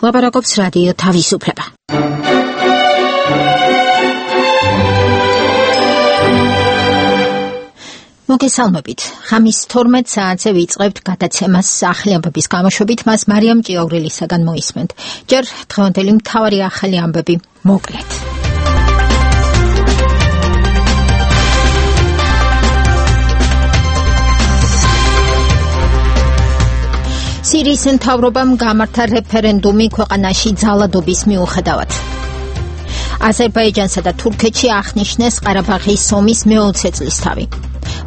ლაპარაკობს რადიო თავისუფლება. მოგესალმებით. ხამის 12 საათზე ვიწყებთ გადაცემას ახალი ამბების გამოშვებით, მას მარიამ ჭიაურელისაგან მოისმენთ. ჯერ დღევანდელი მთავარი ახალი ამბები მოკლედ. სირიის მთავრობამ გამართა რეფერენდუმი ქვეყანაში ძალადობის მიუხედავად. აზერბაიჯანსა და თურქეთში აღნიშნეს ყარაბაღის ომის მე-20 წლისთავი.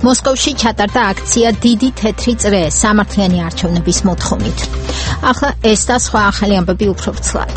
მოსკოვში ჩატარდა აქცია დიდი თეთრი წრე სამართლიანი არჩევნების მოთხოვნით. ახლა ეს და სხვა ახალი ამბები უფრო ვრცლად.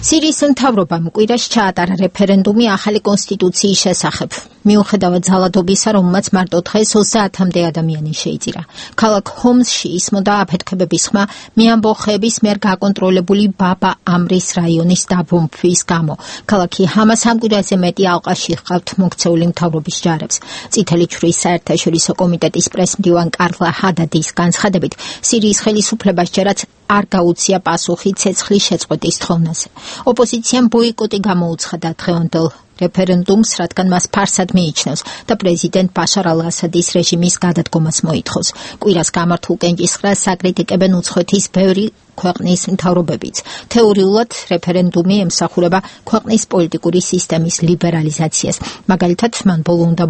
სირიის მთავრობამ კვირაში ჩაატარა რეფერენდუმი ახალი კონსტიტუციის შესახებ. მიუხედავად ძალადობისა, რომელმაც მარტო დღეს 30-მდე ადამიანი შეიწირა. ქალაქ ჰომსში ისმოდა აფეთქებების ხმა მეამბოხეების მიერ გაკონტროლებული ბაბა ამრის რაიონის დაბომბვის გამო. ქალაქი ჰამას ამ კვირაზე მეტი ალყაში ჰყავთ მოქცეული მთავრობის ჯარებს. წითელი ჯვრის საერთაშორისო კომიტეტის პრესმდივან კარლა ჰადადის განცხადებით, სირიის ხელისუფლებას ჯერაც არ გაუწია პასუხი ცეცხლის შეწყვეტის თხოვნაზე. ოპოზიციამ ბოიკოტი გამოუცხადა დღევანდელ რეფერენდუმს, რადგან მას ფარსად მიიჩნევს და პრეზიდენტ ბაშარ ალ-ასადის რეჟიმის გადადგომას მოითხოვს. კვირას გამართულ კენჭისყრას საკრიტიკებენ უცხოეთის ბევრი ქვეყნის მთავრობებიც. თეორიულად რეფერენდუმი ემსახურება ქვეყნის პოლიტიკური სისტემის ლიბერალიზაციას. მაგალითად, მან ბოლო უნდა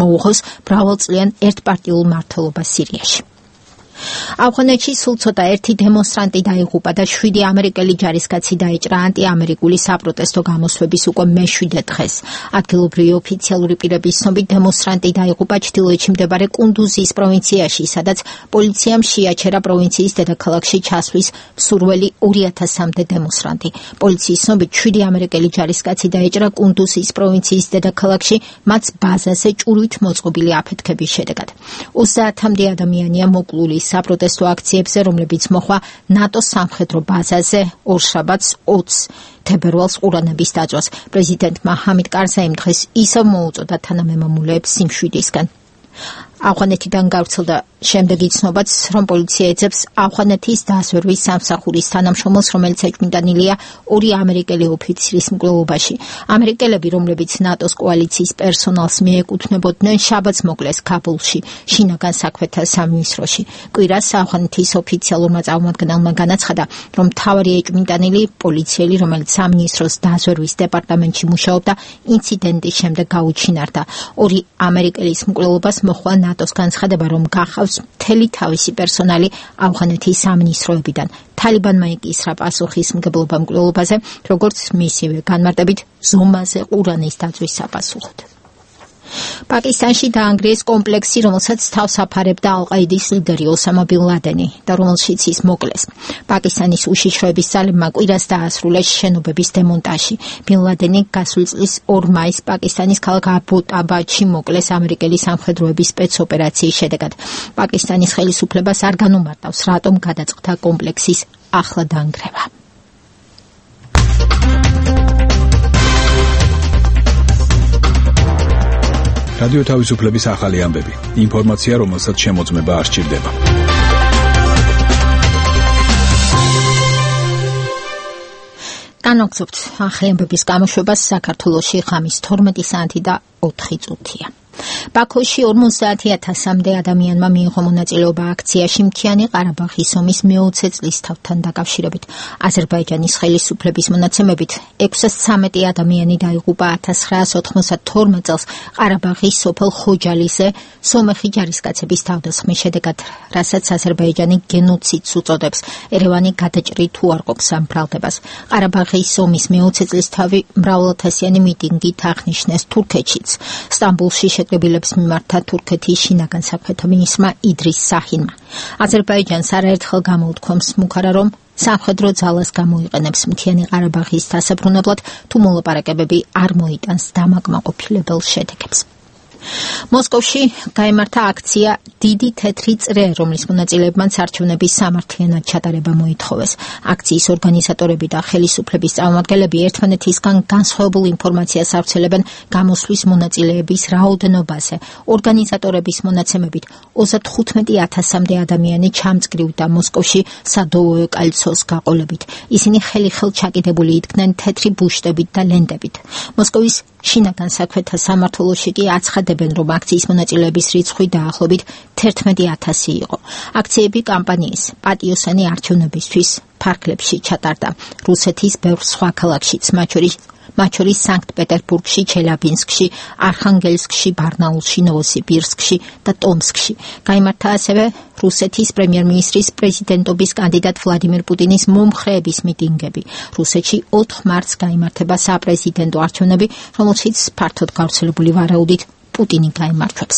მოუღოს მრავალწლიან ერთპარტიულ მმართველობას სირიაში. ავღანეთში სულ ცოტა ერთი დემონსტრანტი დაიღუპა და 7 ამერიკელი ჯარისკაცი დაეჭრა ანტიამერიკული საპროტესტო გამოსვების უკვე მე-7 დღეს. ადგილობრივი ოფიციალური პირების ცნობით დემონსტრანტი დაიღუპა ჩრდილოეთში მდებარე კუნდუზის პროვინციაში, სადაც პოლიციამ შეაჩერა პროვინციის დედაქალაქში ჩასვლის მსურველი 2000-მდე დემონსტრანტი. პოლიციის ცნობით 7 ამერიკელი ჯარისკაცი დაეჭრა კუნდუზის პროვინციის დედაქალაქში მათ ბაზაზე ჭურვით მოწყობილი აფეთქების შედეგად. 30-მდე ადამიანია მოკლული საპროტესტო აქციებზე, რომლებიც მოხდა ნატოს სამხედრო ბაზაზე ორშაბათს 20 თებერვალს ყურანების დაწვას. პრეზიდენტმა ჰამიდ კარზაიმ დღეს ისევ მოუწოდა თანამემამულეებს სიმშვიდისგან. ავღანეთიდან გავრცელდა შემდეგი ცნობაც, რომ პოლიცია ეძებს ავღანეთის დაზვერვის სამსახურის თანამშრომელს, რომელიც ეჭვმიტანილია 2 ამერიკელი ოფიცრის მკვლელობაში. ამერიკელები, რომლებიც ნატოს კოალიციის პერსონალს მიეკუთვნებოდნენ, შაბათს მოკლეს ქაბულში, შინაგან საქმეთა სამინისტროში. კვირას ავღანეთის ოფიციალურმა წარმომადგენელმა განაცხადა, რომ მთავარი ეჭვმიტანილი პოლიციელი, რომელიც სამინისტროს დაზვერვის დეპარტამენტში მუშაობდა, ინციდენტის შემდეგ გაუჩინარდა. 2 ამერიკელის მკვლელობას მოჰყვა ნატოს განცხადება, რომ გახავს მთელი თავისი პერსონალი ავღანეთის სამინისტროებიდან. თალიბანმა იკისრა პასუხისმგებლობა მკვლელობაზე, როგორც მისივე განმარტებით ზომაზე ყურანის დაწვის საპასუხოდ. პაკისტანში დაანგრიეს კომპლექსი, რომელსაც თავს აფარებდა ალ-ყაიდის ლიდერი ოსამა ბინ ლადენი და რომელშიც ის მოკლეს. პაკისტანის უშიშროების ძალებმა კვირას დაასრულეს შენობების დემონტაჟი. ბინ ლადენი გასული წლის 2 მაისს პაკისტანის ქალაქ აბოტაბადში მოკლეს ამერიკელი სამხედროების სპეცოპერაციის შედეგად. პაკისტანის ხელისუფლებას არ განუმარტავს, რატომ გადაწყდა კომპლექსის ახლა დაანგრევა. რადიო თავისუფლების ახალი ამბები. ინფორმაცია, რომელსაც შემოწმება არ სჭირდება. განვაგრძობთ ახალი ამბების გამოშვებას. საქართველოში ხამის 12 საათი და 4 წუთია. ბაქოში 50,000-მდე ადამიანმა მიიღო მონაწილეობა აქციაში მთიანი ყარაბაღის ომის მე-20 წლისთავთან დაკავშირებით. აზერბაიჯანის ხელისუფლების მონაცემებით 613 ადამიანი დაიღუპა 1992 წელს ყარაბაღის სოფელ ხოჯალიზე სომეხი ჯარისკაცების თავდასხმის შედეგად, რასაც აზერბაიჯანი გენოციდს უწოდებს. ერევანი გადაჭრით უარყოფს ამ ბრალდებას. ყარაბაღის ომის მე-20 წლისთავი მრავალათასიანი მიტინგით აღნიშნეს თურქეთშიც. სტამბოლში შეკრებილებს მიმართა თურქეთის შინაგან საქმეთა მინისტრმა იდრის საჰინმა. აზერბაიჯანს არაერთხელ გამოუთქვამს მუქარა, რომ სამხედრო ძალას გამოიყენებს მთიანი ყარაბაღის დასაბრუნებლად, თუ მოლაპარაკებები არ მოიტანს დამაკმაყოფილებელ შედეგებს. მოსკოვში გაიმართა აქცია დიდი თეთრი წრე, რომლის მონაწილეებმაც არჩევნების სამართლიანად ჩატარება მოითხოვეს. აქციის ორგანიზატორები და ხელისუფლების წარმომადგენლები ერთმანეთისგან განსხვავებულ ინფორმაციას ავრცელებენ გამოსვლის მონაწილეების რაოდენობაზე. ორგანიზატორების მონაცემებით 35,000-მდე ადამიანი ჩამწკრივდა მოსკოვში სადოვოე კოლცოს გაყოლებით. ისინი ხელი-ხელ ჩაკიდებული იდგნენ თეთრი ბუშტებით და ლენტებით. მოსკოვის შინაგან საქმეთა სამმართველოში კი აცხადებენ, რომ აქციის მონაწილეების რიცხვი დაახლოებით 11,000 იყო. აქციები კამპანიის პატიოსანი არჩევნებისთვის ფარგლებში ჩატარდა. რუსეთის ბევრ სხვა ქალაქშიც, მათ შორის სანქტ-პეტერბურგში, ჩელაბინსკში, არხანგელსკში, ბარნაულში, ნოვოსიბირსკში და ტომსკში. გაიმართა ასევე რუსეთის პრემიერ-მინისტრის პრეზიდენტობის კანდიდატ ვლადიმერ პუტინის მომხრეების მიტინგები. რუსეთში 4 მარტს გაიმართება საპრეზიდენტო არჩევნები, რომელშიც ფართოდ გავრცელებული ვარაუდით პუტინი გაიმარჯვებს.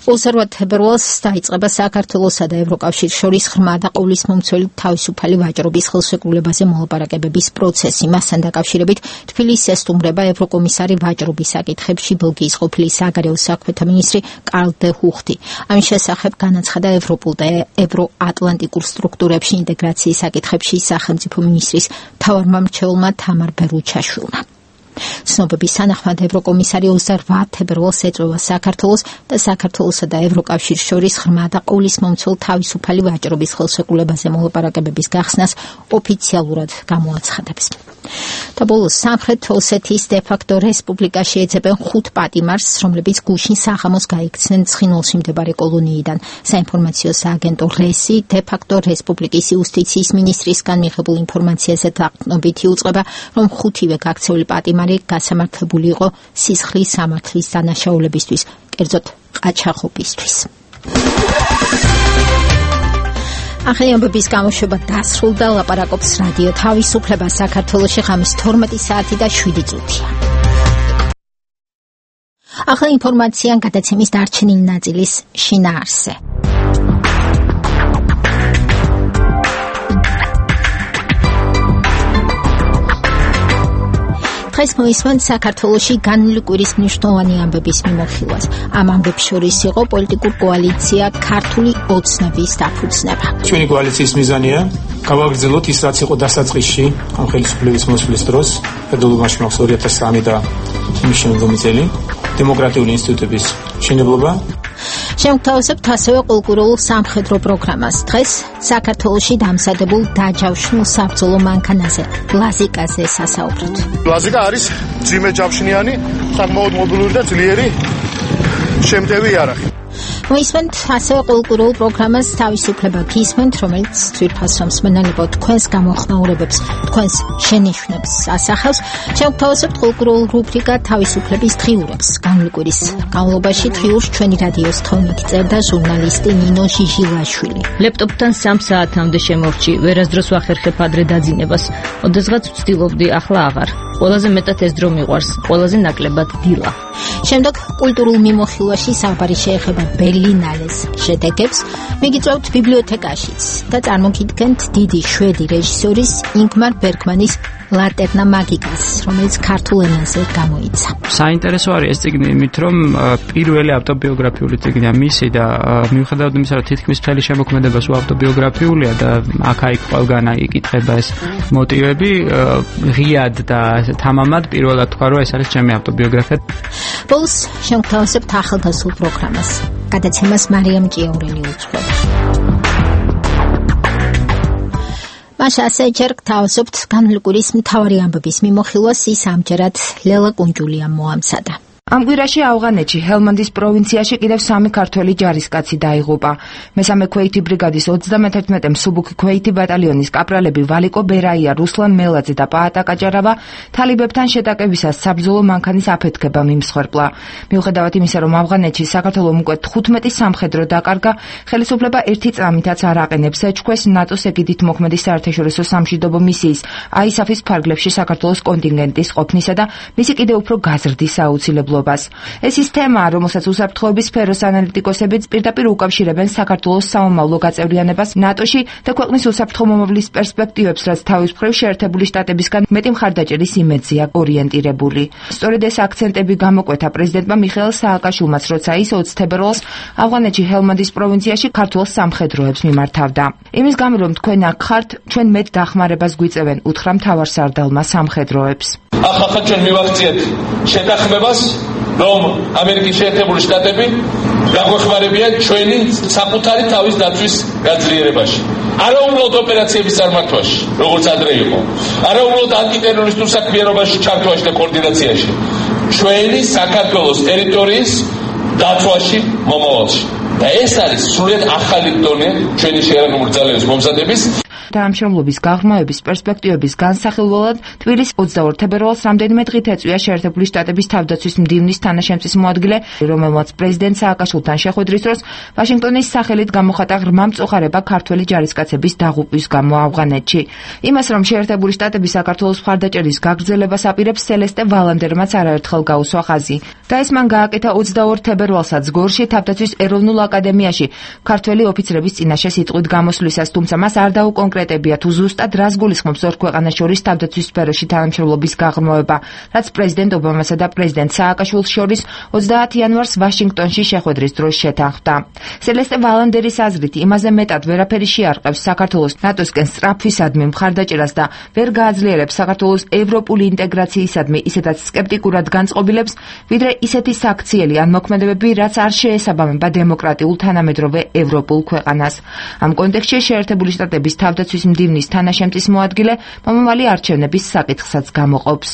20 თებერვალს დაიწყება საქართველოსა და ევროკავშირის შორის ღრმა და ყოვლისმომცველი თავისუფალი ვაჭრობის ხელშეკრულებაზე მოლაპარაკებების პროცესი. მასთან დაკავშირებით თბილისს ესტუმრება ევროკომისარი ვაჭრობის საკითხებში ბელგიის ყოფილი საგარეო საქმეთა მინისტრი კარლ დე ჰუხტი. ამის შესახებ განაცხადა ევროპულ და ევროატლანტიკურ სტრუქტურებში ინტეგრაციის საკითხებში სახელმწიფო მინისტრის მთავარმა მრჩეველმა თამარ ბერუჩაშვილმა. ცნობების თანახმად ევროკომისარი 28 თებერვალს ეწვევა საქართველოს და საქართველოსა და ევროკავშირის შორის ღრმა და ყოვლისმომცველ თავისუფალი ვაჭრობის ხელშეკრულებაზე მოლაპარაკებების გახსნას ოფიციალურად გამოაცხადებს. და ბოლოს სამხრეთ ოსეთის დე-ფაქტო რესპუბლიკაში ეძებენ 5 პატიმარს, რომლებიც გუშინ საღამოს გაიქცნენ ცხინვალში მდებარე კოლონიიდან. საინფორმაციო სააგენტო რესი დე-ფაქტო რესპუბლიკის იუსტიციის მინისტრისგან მიღებულ ინფორმაციაზე დაყრდნობით იუწყება, რომ 5-ვე გაქცეული პატიმარი გასამართლებული იყო სისხლის სამართლის დანაშაულებისთვის, კერძოდ ყაჩაღობისთვის. ახალი ამბების გამოშვება დასრულდა. ლაპარაკობს რადიო თავისუფლება საქართველოში ღამის 12 საათი და 7 წუთია. ახალი ინფორმაცია გადაცემის დარჩენილი ნაწილის შინაარსზე. დღეს მოისმენთ საქართველოში განვლილი კვირის მნიშვნელოვანი ამბების მიმოხილვას. ამ ამბებს შორის იყო პოლიტიკურ კოალიცია ქართული ოცნების დაფუძნება. ჩვენი კოალიციის მიზანია გავაგრძელოთ ის, რაც იყო დასაწყისში ამ ხელისუფლების მოსვლის დროს, ფედერალურში მაქვს 2003 და იმის შემდგომი წელი, დემოკრატიული ინსტიტუტების მშენებლობა. შევთავაზებთ ასევე კულტურულ სამხედრო პროგრამას. დღეს საქართველოში დამზადებულ დაჯავშნულ საბრძოლო მანქანაზე, ლაზიკაზე სასაუბროთ. ლაზიკა არის ძიმე ჯავშნიანი, საკმაოდ მობილური და ძლიერი შემტევი იარაღი. მოისმენთ ასევე კულტურულ პროგრამას თავისუფლება გისმენთ, რომელიც ძვირფასო მსმენელებო თქვენს გამოხმაურებებს, თქვენს შენიშვნებს ასახავს. შევთავაზებთ კულტურულ რუბრიკა თავისუფლების დღიურებს. განვლილი კვირის განმავლობაში დღიურს ჩვენი რადიოს თქმით წერდა ჟურნალისტი ნინო ჟიჟილაშვილი. ლეპტოპთან 3 საათამდე შემორჩი, ვერასდროს ვახერხებ ადრე დაძინებას. ოდესღაც ვცდილობდი, ახლა აღარ. ყველაზე მეტად ეს დრო მიყვარს, ყველაზე ნაკლებად დილა. შემდეგ კულტურულ მიმოხილვაში საუბარი შეეხება ბერლინალეს შედეგებს. მიგიწევთ ბიბლიოთეკაშიც და წარმოგიდგენთ დიდი შვედი რეჟისორის ინგმარ ბერგმანის ლატერნა მაგიკას, რომელიც ქართულ ენაზე გამოიცა. საინტერესო არის ეს წიგნი იმით, რომ პირველი ავტობიოგრაფიული წიგნია მისი და მიუხედავად იმისა, რომ თითქმის მთელი შემოქმედება სულ ავტობიოგრაფიულია და აქ-იქ ყველგან იკითხება ეს მოტივები, ღიად და თამამად პირველად თქვა, რომ ეს არის ჩემი ავტობიოგრაფია. ბოლოს შევთავაზებთ ახალგაზრდულ პროგრამას. გადაცემას მარიამ ჭიაურელი უძღვება. მაშ ასე ჯერ გთავაზობთ განვლილი კვირის მთავარი ამბების მიმოხილვას. ის ამჯერად ლელა კუნჯულიამ მოამზადა. ამ კვირაში ავღანეთში ჰელმანდის პროვინციაში კიდევ 3 ქართველი ჯარისკაცი დაიღუპა. მესამე ქვეითი ბრიგადის 31 მსუბუქი ქვეითი ბატალიონის კაპრალები ვალიკო ბერაია, რუსლან მელაძე და პაატა კაჭარავა თალიბებთან შეტაკებისას საბრძოლო მანქანის აფეთქებამ იმსხვერპლა. მიუხედავად იმისა, რომ ავღანეთში საქართველომ უკვე 15 სამხედრო დაკარგა, ხელისუფლება ერთი წამითაც არ აყენებს ეჭქვეს ნატოს ეგიდით მოქმედი საერთაშორისო სამშვიდობო მისიის ISAF-ის ფარგლებში საქართველოს კონტინგენტის ყოფნისა და მისი კიდევ უფრო გაზრდის აუცილებლობას. მშენებლობას. ეს ის თემაა, რომელსაც უსაფრთხოების სფეროს ანალიტიკოსებიც პირდაპირ უკავშირებენ საქართველოს საომავლო გაწევრიანებას ნატოში და ქვეყნის უსაფრთხო მომავლის პერსპექტივებს, რაც თავის მხრივ შეერთებული შტატებისგან მეტი მხარდაჭერის იმედზეა ორიენტირებული. სწორედ ეს აქცენტები გამოკვეთა პრეზიდენტმა მიხეილ სააკაშვილმაც, როცა ის 20 თებერვალს ავღანეთში ჰელმანდის პროვინციაში ქართულ სამხედროებს მიმართავდა. იმის გამო, რომ თქვენ აქ ხართ, ჩვენ მეტ დახმარებას გვიწევენ, უთხრა მთავარსარდალმა სამხედროებს. ახლა ჩვენ მივახციეთ შეთანხმებას, რომ ამერიკის შეერთებული შტატები გაგვეხმარებიან ჩვენი საკუთარი თავის დაცვის გაძლიერებაში. არა უბრალოდ ოპერაციების წარმართვაში, როგორც ადრე იყო. არა უბრალოდ ანტიტერორისტულ საქმიანობაში ჩართვაში და კოორდინაციაში. ჩვენი საქართველოს ტერიტორიის დაცვაში მომავალში. და ეს არის სრულიად ახალი დონე ჩვენი შერაგებული ძალების მომზადების თანამშრომლობის გაღრმავების პერსპექტივების განსახილველად თბილისის 22 თებერვალს რამდენიმე დღით ეწვია შეერთებული შტატების თავდაცვის მდივნის თანაშემწის მოადგილე, რომელმაც პრეზიდენტ სააკაშვილთან შეხვედრის დროს ვაშინგტონის სახელით გამოხატა ღრმა მწუხარება ქართველი ჯარისკაცების დაღუპვის გამო ავღანეთში. იმას, რომ შეერთებული შტატები საქართველოს მხარდაჭერის გაგრძელებას აპირებს, სელესტე ვალანდერმაც არაერთხელ გაუსვა ხაზი. და ეს მან გააკეთა 22 თებერვალსაც გორში თავდაცვის ეროვნულ აკადემიაში ქართველი ოფიცრების წინაშე სიტყვით გამოსვლისას, თუმცა მას არ დაუკონკრეტებია თუ ზუსტად რას გულისხმობს ორ ქვეყანას შორის თავდაცვის სფეროში თანამშრომლობის გაღრმავება, რაც პრეზიდენტ ობამასა და პრეზიდენტ სააკაშვილს შორის 30 იანვარს ვაშინგტონში შეხვედრის დროს შეთანხმდა. სელესტე ვალანდერის აზრით, იმაზე მეტად ვერაფერი შეარყევს საქართველოს ნატოსკენ სწრაფვისადმი მხარდაჭერას და ვერ გააძლიერებს საქართველოს ევროპული ინტეგრაციისადმი ისედაც სკეპტიკურად განწყობილებს, ვიდრე ისეთი საქციელი ან მოქმედებები, რაც არ შეესაბამება დემოკრატიულ თანამედროვე ევროპულ ქვეყანას. ამ კონტექსტში შეერთებული შტატების თავდაცვის მდივნის თანაშემწის მოადგილე მომავალი არჩევნების საკითხსაც გამოყოფს.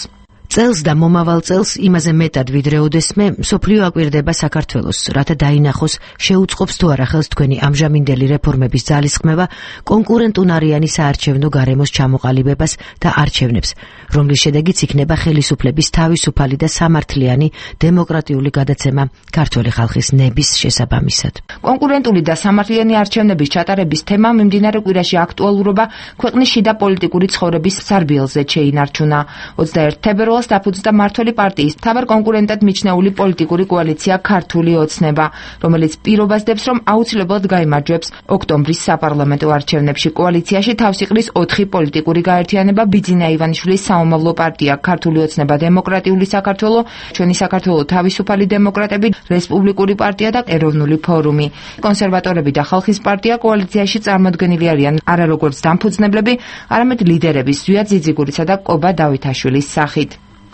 წელს და მომავალ წელს იმაზე მეტად ვიდრე ოდესმე მსოფლიო აკვირდება საქართველოს, რათა დაინახოს შეუწყობს თუ არა ხელს თქვენი ამჟამინდელი რეფორმების ძალისხმევა კონკურენტუნარიანი საარჩევნო გარემოს ჩამოყალიბებას და არჩევნებს, რომლის შედეგიც იქნება ხელისუფლების თავისუფალი და სამართლიანი დემოკრატიული გადაცემა ქართველი ხალხის ნების შესაბამისად. კონკურენტული და სამართლიანი არჩევნების ჩატარების თემა მიმდინარე კვირაში აქტუალურობა ქვეყნის შიდა პოლიტიკური ცხოვრების სარბიელზე შეინარჩუნა. 21 თებერვალს დაფუძნდა მმართველი პარტიის მთავარ კონკურენტად მიჩნეული პოლიტიკური კოალიცია ქართული ოცნება, რომელიც პირობას დებს, რომ აუცილებლად გაიმარჯვებს ოქტომბრის საპარლამენტო არჩევნებში. კოალიციაში თავს იყრის 4 პოლიტიკური გაერთიანება: ბიძინა ივანიშვილის საომავლო პარტია, ქართული ოცნება, დემოკრატიული საქართველო, ჩვენი საქართველო თავისუფალი დემოკრატები, რესპუბლიკური პარტია და ეროვნული ფორუმი. კონსერვატორები და ხალხის პარტია კოალიციაში წარმოდგენილი არიან არა როგორც დამფუძნებლები, არამედ ლიდერების ზვია ძიძიგურისა და კობა დავითაშვილის სახით.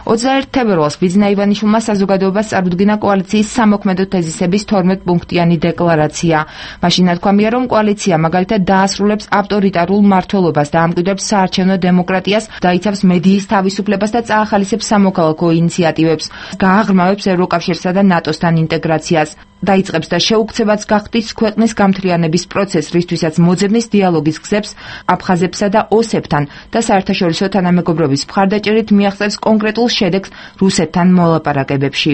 21 თებერვალს ბიძინა ივანიშვილმა საზოგადოებას წარუდგინა კოალიციის სამოქმედო თეზისების 12 პუნქტიანი დეკლარაცია. მაშინ ნათქვამია, რომ კოალიცია მაგალითად დაასრულებს ავტორიტარულ მმართველობას და ამკვიდრებს საარჩევნო დემოკრატიას, დაიცავს მედიის თავისუფლებას და წაახალისებს სამოქალაქო ინიციატივებს, გააღრმავებს ევროკავშირსა და ნატოსთან ინტეგრაციას. დაიწყებს და შეუქცევაც გახდის ქვეყნის გამთლიანების პროცესს, რისთვისაც მოძებნის დიალოგის გზებს აფხაზებსა და ოსებთან და საერთაშორისო თანამეგობრობის მხარდაჭერით მიაღწევს კონკრეტულ შედეგს რუსეთთან მოლაპარაკებებში.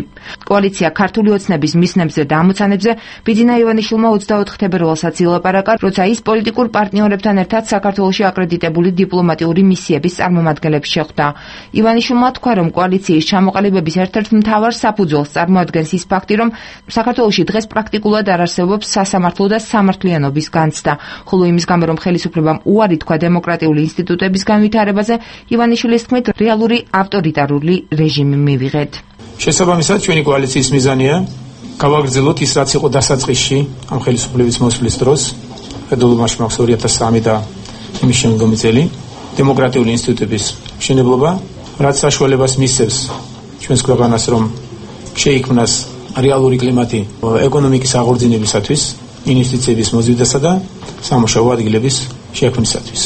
კოალიცია ქართული ოცნების მისნებზე და ამოცანებზე ბიძინა ივანიშვილმა 24 თებერვალსაც ილაპარაკა, როცა ის პოლიტიკურ პარტნიორებთან ერთად საქართველოში აკრედიტებული დიპლომატიური მისიების წარმომადგენლებს შეხვდა. ივანიშვილმა თქვა, რომ კოალიციის ჩამოყალიბების ერთ-ერთ მთავარ საფუძველს წარმოადგენს ის ფაქტი, რომ საქართველოში დღეს პრაქტიკულად არ არსებობს სასამართლო და სამართლიანობის განცდა, ხოლო იმის გამო, რომ ხელისუფლებამ უარი თქვა დემოკრატიული ინსტიტუტების განვითარებაზე, ივანიშვილის თქმით, რეალური ავტორიტარული რეჟიმი მივიღეთ. შესაბამისად, ჩვენი კოალიციის მიზანია გავაგრძელოთ ის, რაც იყო დასაწყისში ამ ხელისუფლების მოსვლის დროს, ფედერალურში მაქვს 2003 და იმის შემდგომი წელი, დემოკრატიული ინსტიტუტების მშენებლობა, რაც საშუალებას მისცემს ჩვენს ქვეყანას, რომ შეიქმნას რეალური კლიმატი ეკონომიკის აღორძინებისათვის, ინვესტიციების მოზიდვასა და სამუშაო ადგილების შექმნისათვის.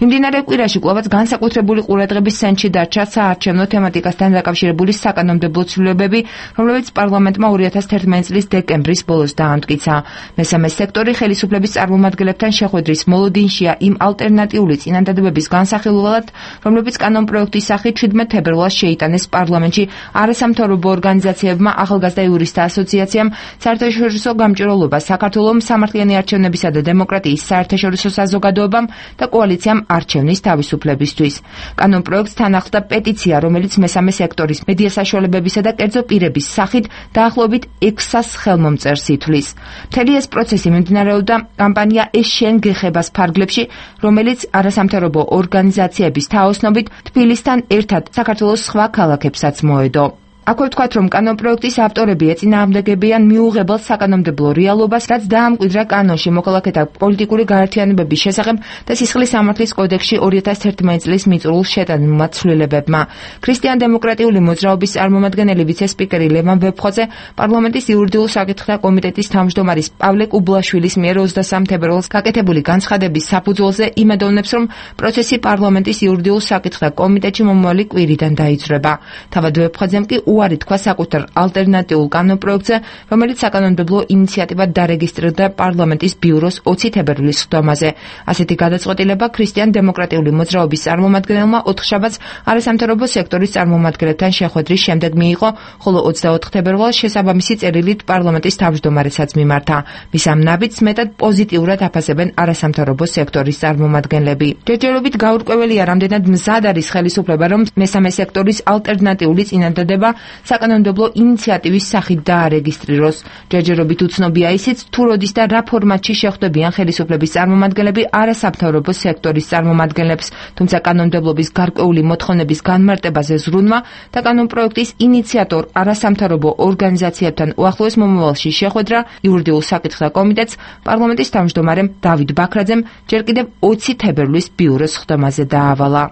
მიმდინარე კვირაში კვლავაც განსაკუთრებული ყურადღების ცენტრში დარჩა საარჩევნო თემატიკასთან დაკავშირებული საკანონმდებლო ცვლილებები, რომლებიც პარლამენტმა 2011 წლის დეკემბრის ბოლოს დაამტკიცა. მესამე სექტორი ხელისუფლების წარმომადგენლებთან შეხვედრის მოლოდინშია იმ ალტერნატიული წინადადებების განსახილველად, რომლებიც კანონპროექტის სახით 17 თებერვალს შეიტანეს პარლამენტში არასამთავრობო ორგანიზაციებმა, ახალგაზრდა იურისტთა ასოციაციამ, საერთაშორისო გამჭვირვალობა საქართველოს სამართლიანი არჩევნებისა და დემოკრატიის საერთაშორისო საზოგადოებამ და კოალიციამ არჩევნის თავისუფლებისთვის. კანონპროექტს თან ახლდა პეტიცია, რომელიც მესამე სექტორის მედია საშუალებებისა და კერძო პირების სახით დაახლოებით 600 ხელმომწერს ითვლის. მთელი ეს პროცესი მიმდინარეობდა კამპანია ეს შენ გეხებას ფარგლებში, რომელიც არასამთავრობო ორგანიზაციების თაოსნობით თბილისთან ერთად საქართველოს სხვა ქალაქებსაც მოედო. აქვე ვთქვათ, რომ კანონპროექტის ავტორები ეწინააღმდეგებიან მიუღებელ საკანონმდებლო რეალობას, რაც დაამკვიდრა კანონში მოქალაქეთა პოლიტიკური გაერთიანებების შესახებ და სისხლის სამართლის კოდექსში 2011 წლის მიწურულს შეტანილმა ცვლილებებმა. ქრისტიან-დემოკრატიული მოძრაობის წარმომადგენელი ვიცე-სპიკერი ლევან ვეფხვაძე პარლამენტის იურიდიულ საკითხთა კომიტეტის თავმჯდომარის პავლე კუბლაშვილის მიერ 23 თებერვალს გაკეთებული განცხადების საფუძველზე იმედოვნებს, რომ პროცესი პარლამენტის იურიდიულ საკითხთა კომიტეტში მომავალი კვირიდან დაიძრება. თავად ვეფხვაძემ კი უარი თქვა საკუთარ ალტერნატიულ კანონპროექტზე, რომელიც საკანონმდებლო ინიციატივად დარეგისტრირდა პარლამენტის ბიუროს 20 თებერვლის სხდომაზე. ასეთი გადაწყვეტილება ქრისტიან-დემოკრატიული მოძრაობის წარმომადგენელმა ოთხშაბათს არასამთავრობო სექტორის წარმომადგენლებთან შეხვედრის შემდეგ მიიღო, ხოლო 24 თებერვალს შესაბამისი წერილით პარლამენტის თავმჯდომარესაც მიმართა. მის ამ ნაბიჯს მეტად პოზიტიურად აფასებენ არასამთავრობო სექტორის წარმომადგენლები. ჯერჯერობით გაურკვეველია, რამდენად მზად არის ხელისუფლება, რომ მესამე სექტორის ალტერნატიული წინადადება საკანონმდებლო ინიციატივის სახით დაარეგისტრიროს. ჯერჯერობით უცნობია ისიც, თუ როდის და რა ფორმატში შეხვდებიან ხელისუფლების წარმომადგენლები არასამთავრობო სექტორის წარმომადგენლებს, თუმცა კანონმდებლობის გარკვეული მოთხოვნების განმარტებაზე ზრუნვა და კანონპროექტის ინიციატორ არასამთავრობო ორგანიზაციებთან უახლოეს მომავალში შეხვედრა იურიდიულ საკითხთა კომიტეტს პარლამენტის თავმჯდომარემ დავით ბაქრაძემ ჯერ კიდევ 20 თებერვლის ბიუროს სხდომაზე დაავალა.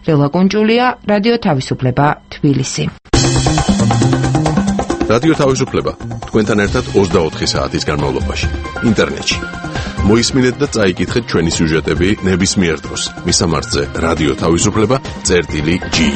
რელა კუნჭულია, რადიო თავისუფლება, თბილისი. რადიო თავისუფლება თქვენთან ერთად 24 საათის განმავლობაში ინტერნეტში. მოისმინეთ და წაიკითხეთ ჩვენი სიუჟეტები ნებისმიერ დროს. მისამართზე რადიო თავისუფლება.ge.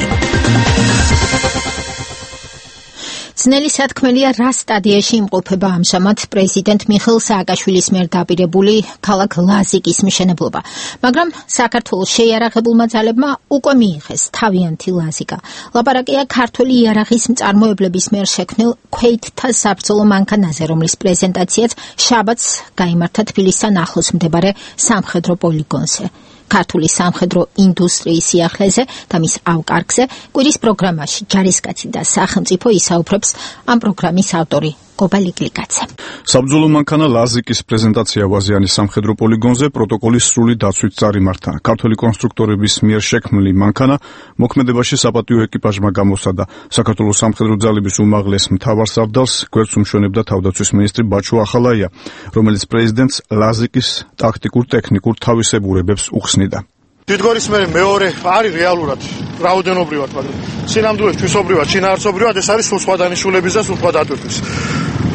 ძნელი სათქმელია, რა სტადიაში იმყოფება ამჟამად პრეზიდენტ მიხეილ სააკაშვილის მიერ დაპირებული ქალაქ ლაზიკის მშენებლობა. მაგრამ საქართველოს შეიარაღებულმა ძალებმა უკვე მიიღეს თავიანთი ლაზიკა. ლაპარაკია ქართველი იარაღის მწარმოებლების მიერ შექმნილ ქვეითთა საბრძოლო მანქანაზე, რომლის პრეზენტაციაც შაბათს გაიმართა თბილისთან ახლოს მდებარე სამხედრო პოლიგონზე. ქართული სამხედრო ინდუსტრიის სიახლეზე და მის ავკარგზე კვირის პროგრამაში ჯარისკაცი და სახელმწიფო ისაუბრებს ამ პროგრამის ავტორი გობალი გლიკაძე. საბრძოლო მანქანა ლაზიკის პრეზენტაცია ვაზიანის სამხედრო პოლიგონზე პროტოკოლის სრული დაცვით წარიმართა. ქართველი კონსტრუქტორების მიერ შექმნილი მანქანა მოქმედებაში საპატიო ეკიპაჟმა გამოსადა. საქართველოს სამხედრო ძალების უმაღლეს მთავარსარდალს გვერდს უმშვენებდა თავდაცვის მინისტრი ბაჩო ახალაია, რომელიც პრეზიდენტს ლაზიკის ტაქტიკურ-ტექნიკურ თავისებურებებს უხსნიდა. დიდგორის მეორე არის რეალურად რაოდენობრივად, მაგრამ სინამდვილეს ჩვისობრივად, შინაარსობრივად ეს არის სულ სხვა დანიშნულების და სულ სხვა დატვირთვის.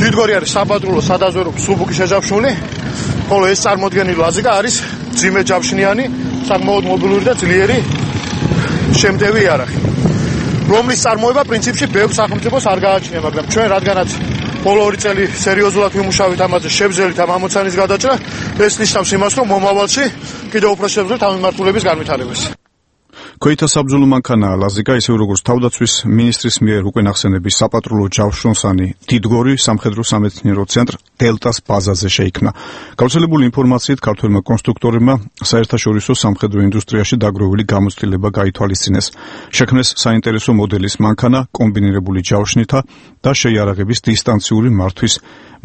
დიდგორი არის საბატრულო სადაზვერვო სუბუქი შეჯავშნული, ხოლო ეს წარმოდგენილი ლაზიკა არის ძიმე ჯავშნიანი, საკმაოდ მობილური და ძლიერი შემტევი იარაღი, რომლის წარმოება პრინციპში ბევრ სახელმწიფოს არ გააჩნია, მაგრამ ჩვენ რადგანაც ბოლო 2 წელი სერიოზულად ვიმუშავეთ ამაზე, შევძელით ამ ამოცანის გადაჭრა, ეს ნიშნავს იმას, რომ მომავალში კიდევ უფრო შევძლებთ ამ მიმართულების განვითარებას. ქვეითთა საბრძოლო მანქანა ლაზიკა, ისე როგორც თავდაცვის მინისტრის მიერ უკვე ნახსენების საპატრულო ჯავშნოსანი დიდგორი სამხედრო სამეცნიერო ცენტრ დელტას ბაზაზე შეიქმნა. გავრცელებული ინფორმაციით ქართველმა კონსტრუქტორებმა საერთაშორისო სამხედრო ინდუსტრიაში დაგროვილი გამოცდილება გაითვალისწინეს. შექმნეს საინტერესო მოდელის მანქანა კომბინირებული ჯავშნითა და შეიარაღების დისტანციური მართვის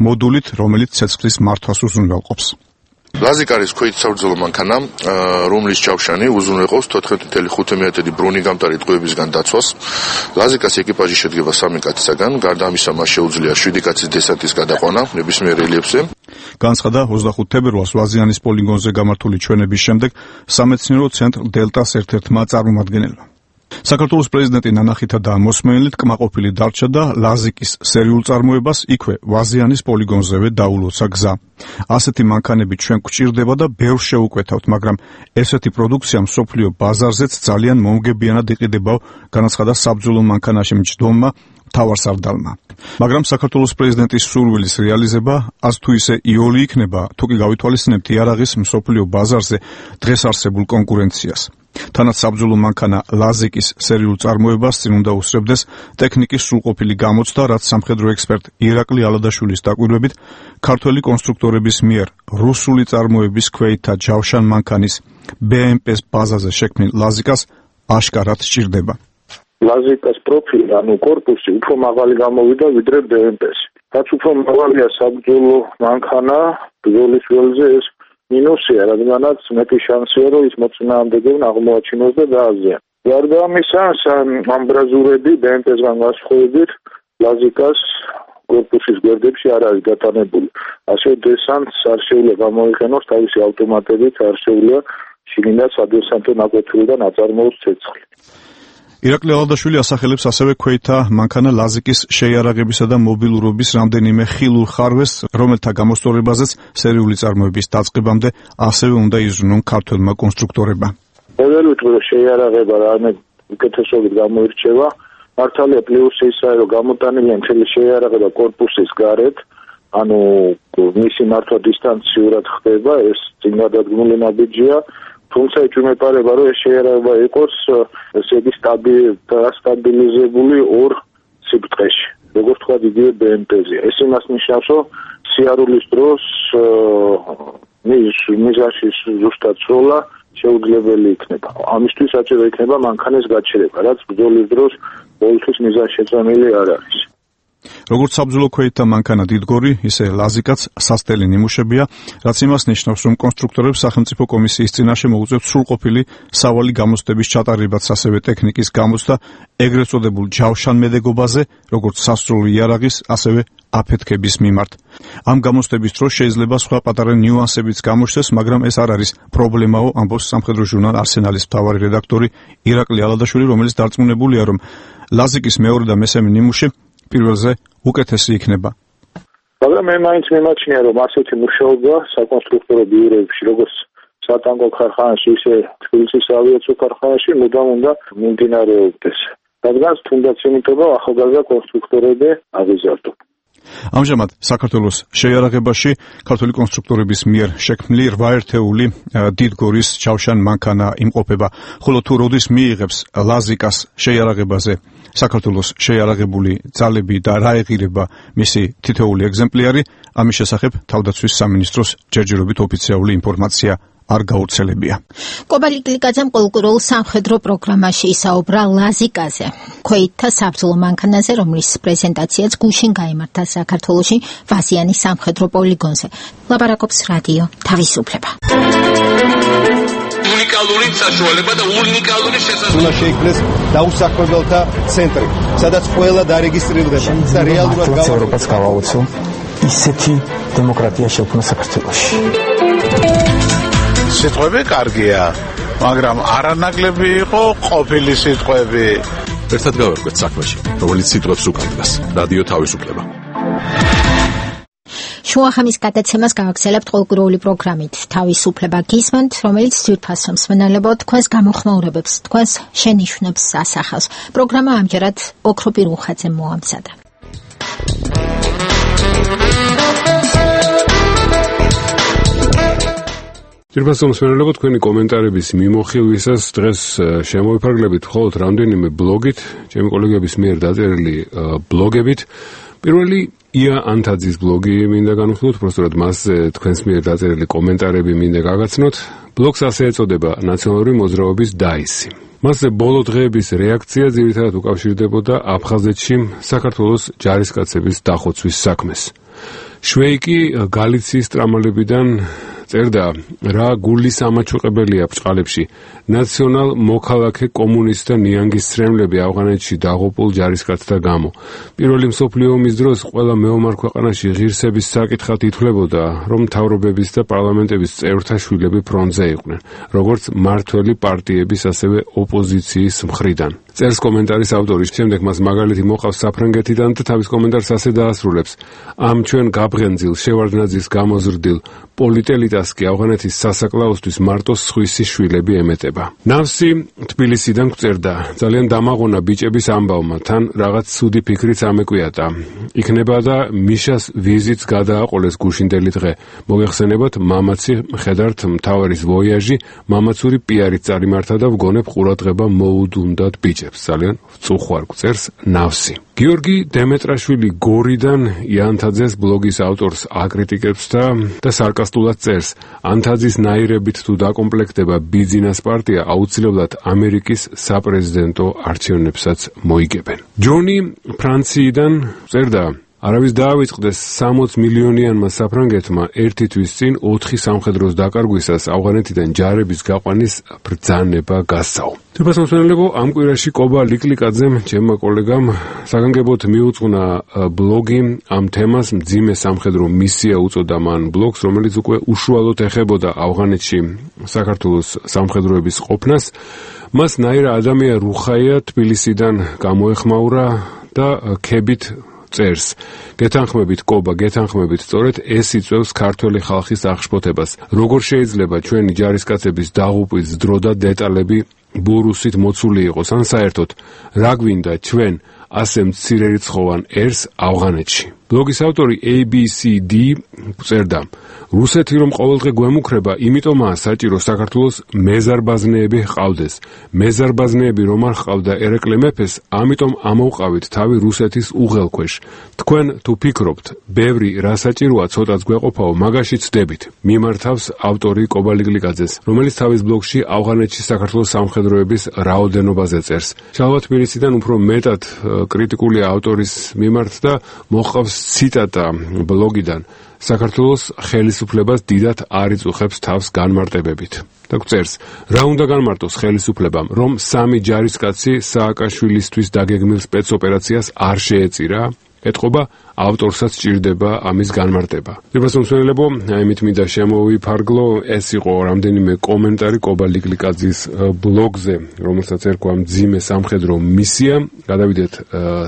მოდულით, რომელიც ცეცხლის მართვას უზრუნველყოფს. ლაზიკა არის ქვეითთა საბრძოლო მანქანა, რომლის ჯავშანი უზრუნველყოფს 14.5 მეტრი ბრუნიგამტარი ტყვეებისგან დაცვას. ლაზიკას ეკიპაჟი შედგება 3 კაცისაგან, გარდა ამისა მას შეუძლია 7 კაცის დესანტის გადაყვანა ნებისმიერ რელიეფზე. განცხადა 25 თებერვალს ვაზიანის პოლიგონზე გამართული ჩვენების შემდეგ სამეცნიერო ცენტრ დელტას ერთ-ერთმა წარმომადგენელმა. საქართველოს პრეზიდენტი ნანახითა და მოსმენელით კმაყოფილი დარჩა და ლაზიკის სერიულ წარმოებას იქვე ვაზიანის პოლიგონზევე დაულოცა გზა. ასეთი მანქანები ჩვენ გვჭირდება და ბევრ შევუკვეთავთ, მაგრამ ესეთი პროდუქცია მსოფლიო ბაზარზეც ძალიან მომგებიანად იყიდება, განაცხადა საბრძოლო მანქანაში მჯდომმა მთავარსარდალმა. მაგრამ საქართველოს პრეზიდენტის სურვილის რეალიზება ას თუ ისე იოლი იქნება, თუ კი გავითვალისწინებთ იარაღის მსოფლიო ბაზარზე დღეს არსებულ კონკურენციას. თანაც საბრძოლო მანქანა ლაზიკის სერიულ წარმოებას წინ უნდა უსწრებდეს ტექნიკის სრულყოფილი გამოცდა, რაც სამხედრო ექსპერტ ირაკლი ალადაშვილის დაკვირვებით ქართველი კონსტრუქტორების მიერ რუსული წარმოების ქვეითთა ჯავშან მანქანის BMP-ს ბაზაზე შექმნილ ლაზიკას აშკარად სჭირდება. ლაზიკას პროფილი, ანუ კორპუსი უფრო მაღალი გამოვიდა ვიდრე BMP-ს. რაც უფრო მაღალია საბრძოლო მანქანა, ბრძოლის ველზე ეს მინუსია, რადგანაც მეტი შანსია, რომ ის მოწინააღმდეგეებმა აღმოაჩინოს და დააზიანოს. გარდა ამისა, ამბრაზურები BMP-სგან განსხვავებით ლაზიკას კორპუსის გვერდებში არ არის გატანებული. ასე დესანტს არ შეუძლია გამოიყენოს თავისი ავტომატებით, არ შეუძლია შიგნიდან სადესანტო ნაკვეთურიდან აწარმოოს ცეცხლი. ირაკლი ალადაშვილი ასახელებს ასევე ქვეითთა მანქანა ლაზიკის შეიარაღებისა და მობილურობის რამდენიმე ხილულ ხარვეს, რომელთა გამოსწორებაზეც სერიული წარმოების დაწყებამდე ასევე უნდა იზრუნონ ქართველმა კონსტრუქტორებმა. მოდელით შეიარაღება რამე უკეთესობით გამოირჩევა. მართალია პლუსი ისაა, რომ გამოტანილია მთელი შეიარაღება კორპუსის გარეთ, ანუ მისი მართვა დისტანციურად ხდება, ეს წინადადგმული ნაბიჯია. თუმცა ეჭვმეპარება, რომ ეს შეიარაღება იყოს ესე იგი სტაბილიზებული ორ სიბრტყეში, როგორც თქვა იგივე BMP-ზე. ეს იმას ნიშნავს, რომ სიარულის დროს მიზანში ზუსტად სროლა შეუძლებელი იქნება. ამისთვის საჭირო იქნება მანქანის გაჩერება, რაც ბრძოლის დროს ყოველთვის მიზანშეწონილი არ არის. როგორც საბრძოლო ქვეითთა მანქანა დიდგორი, ისე ლაზიკაც სასტელი ნიმუშებია, რაც იმას ნიშნავს, რომ კონსტრუქტორებს სახელმწიფო კომისიის წინაშე მოუწევთ სრულყოფილი სავალი გამოცდების ჩატარებაც, ასევე ტექნიკის გამოცდა ეგრეთ წოდებულ ჯავშანმედეგობაზე, როგორც სასროლი იარაღის, ასევე აფეთქების მიმართ. ამ გამოცდების დროს შეიძლება სხვა პატარა ნიუანსებიც გამოჩნდეს, მაგრამ ეს არ არის პრობლემაო, ამბობს სამხედრო ჟურნალ არსენალის მთავარი რედაქტორი ირაკლი ალადაშვილი, რომელიც დარწმუნებულია, რომ ლაზიკის მეორე და მესამე ნიმუში პირველზე უკეთესი იქნება. მაგრამ მე მაინც მიმაჩნია, რომ ასეთი მუშაობა საკონსტრუქტორო ბიუროებში, როგორც სატანკო ქარხანაში, ისე თბილისის ავიაციო ქარხანაში მუდამ უნდა მიმდინარეობდეს. რადგან თუნდაც იმიტომ, რომ ახალგაზრდა კონსტრუქტორები აღიზარდონ. ამჟამად საქართველოს შეიარაღებაში ქართული კონსტრუქტორების მიერ შექმნილი 8 ერთეული დიდგორის ჯავშან მანქანა იმყოფება, ხოლო თუ როდის მიიღებს ლაზიკას შეიარაღებაზე საქართველოს შეიარაღებული ძალები და რა ეღირება მისი თითოეული ეგზემპლიარი, ამის შესახებ თავდაცვის სამინისტროს ჯერჯერობით ოფიციალური ინფორმაცია არ გავრცელებია. კობალი კლიკაძემ კულტურულ სამხედრო პროგრამაში ისაუბრა ლაზიკაზე, ქვეითთა საბრძოლო მანქანაზე, რომლის პრეზენტაციაც გუშინ გაიმართა საქართველოში ვაზიანის სამხედრო პოლიგონზე. ლაპარაკობს რადიო თავისუფლება. უნიკალური საშუალება და უნიკალური შესაძლებლობა. უნდა შეიქმნეს დაუსაქმებელთა ცენტრი, სადაც ყველა დარეგისტრირდება და რეალურად ევროპას გავაოცო ისეთი დემოკრატია შექმნა საქართველოში. სიტყვები კარგია, მაგრამ არანაკლები იყო ყოფილი სიტყვები. ერთად გავერკვეთ საქმეში, რომელიც სიტყვებს უკავშირდება. რადიო თავისუფლება. შუახამის გადაცემას გავაგზავნებთ კულტურული პროგრამით თავისუფლება გისმენთ, რომელიც ძვირფასო მსმენელებო თქვენს გამოხმაურებებს, თქვენს შენიშვნებს ასახავს. პროგრამა ამჯერად ოქრო პირუხაძემ მოამზადა. ძვირფასო მსმენელებო, თქვენი კომენტარების მიმოხილვისას დღეს შემოვიფარგლებით მხოლოდ რამდენიმე ბლოგით, ჩემი კოლეგების მიერ დაწერილი ბლოგებით. პირველი ია ანთაძის ბლოგი მინდა განვიხილოთ, უბრალოდ მასზე თქვენს მიერ დაწერილი კომენტარები მინდა გაგაცნოთ. ბლოგს ასე ეწოდება ნაციონალური მოძრაობის დაისი. მასზე ბოლო დღეების რეაქცია ძირითადად უკავშირდებოდა აფხაზეთში საქართველოს ჯარისკაცების დახოცვის საქმეს. შვეიკი გალიციის ტრამალებიდან წერდა, რა გული სამაჩუყებელია ბჭყალებში. ნაციონალ მოქალაქე კომუნისტთა ნიანგის ცრემლები ავღანეთში დაღუპულ ჯარისკაცთა გამო. პირველი მსოფლიო ომის დროს ყველა მეომარ ქვეყანაში ღირსების საკითხად ითვლებოდა, რომ მთავრობების და პარლამენტების წევრთა შვილები ფრონტზე იყვნენ, როგორც მმართველი პარტიების, ასევე ოპოზიციის მხრიდან. წერს კომენტარის ავტორი, შემდეგ მას მაგალითი მოყავს საფრანგეთიდან და თავის კომენტარს ასე დაასრულებს: ამ ჩვენ გაბღენძილ, შევარდნაძის გამოზრდილ, პოლიტელიტად ამიტას კი ავღანეთის სასაკლაოსთვის მარტო სხვისი შვილები ემეტება. ნავსი თბილისიდან გვწერდა, ძალიან დამაღონა ბიჭების ამბავმა, თან რაღაც ცუდი ფიქრიც ამეკვიატა. იქნება და მიშას ვიზიტს გადააყოლეს გუშინდელი დღე. მოგეხსენებათ, მამაცი მხედართ მთავარის ვოიაჟი, მამაცური პიარით წარიმართა და ვგონებ ყურადღება მოუდუნდათ ბიჭებს. ძალიან ვწუხვარ, გვწერს ნავსი. გიორგი დემეტრაშვილი გორიდან იანთაძეს ბლოგის ავტორს აკრიტიკებს და სარკასტულად წერს, ანთაძის ნაირებით თუ დაკომპლექტდება ბიძინას პარტია აუცილებლად ამერიკის საპრეზიდენტო არჩევნებსაც მოიგებენ. ჯონი ფრანციიდან წერდა, არავის დაავიწყდეს 60 მილიონიანმა საფრანგეთმა ერთი თვის წინ 4 სამხედროს დაკარგვისას ავღანეთიდან ჯარების გაყვანის ბრძანება გასცაო. თვითმსმენელებო, ამ კვირაში კობა ლიკლიკაძემ, ჩემმა კოლეგამ, საგანგებოდ მიუძღვნა ბლოგი ამ თემას, მძიმე სამხედრო მისია უწოდა მან ბლოგს, რომელიც უკვე უშუალოდ ეხებოდა ავღანეთში საქართველოს სამხედროების ყოფნას. მას ნაირა ადამია რუხაია თბილისიდან გამოეხმაურა და ქებით წერს. გეთანხმებით კობა, გეთანხმებით, სწორედ ეს იწვევს ქართველი ხალხის აღშფოთებას. როგორ შეიძლება ჩვენი ჯარისკაცების დაღუპვის დრო და დეტალები ბურუსით მოცული იყოს, ან საერთოდ რა გვინდა ჩვენ ასე მცირერიცხოვან ერს ავღანეთში. ბლოგის ავტორი ABCD წერდა, რუსეთი რომ ყოველდღე გვემუქრება, იმიტომაა საჭირო საქართველოს მეზარბაზნეები ჰყავდეს. მეზარბაზნეები რომ არ ჰყავდა ერეკლე მეფეს, ამიტომ ამოვყავით თავი რუსეთის უღელქვეშ. თქვენ თუ ფიქრობთ, ბევრი რა საჭიროა ცოტაც გვეყოფაო, მაგაში ცდებით. მიმართავს ავტორი კობა ლიკლიკაძეს, რომელიც თავის ბლოგში ავღანეთში საქართველოს სამხედროების რაოდენობაზე წერს. შალვა თბილისიდან უფრო მეტად კრიტიკული ავტორის მიმართ და მოჰყავს ციტატა ბლოგიდან. საქართველოს ხელისუფლებას დიდად არ იწუხებს თავს განმარტებებით. და წერს, რა უნდა განმარტოს ხელისუფლებამ, რომ 3 ჯარისკაცი სააკაშვილისთვის დაგეგმილ სპეცოპერაციას არ შეეწირა? ეთყობა, ავტორსაც სჭირდება ამის განმარტება. თვითმსმენელებო, აიმით მინდა შემოვიფარგლო, ეს იყო რამდენიმე კომენტარი კობა ლიკლიკაძის ბლოგზე, რომელსაც ერქვა მძიმე სამხედრო მისია. გადავიდეთ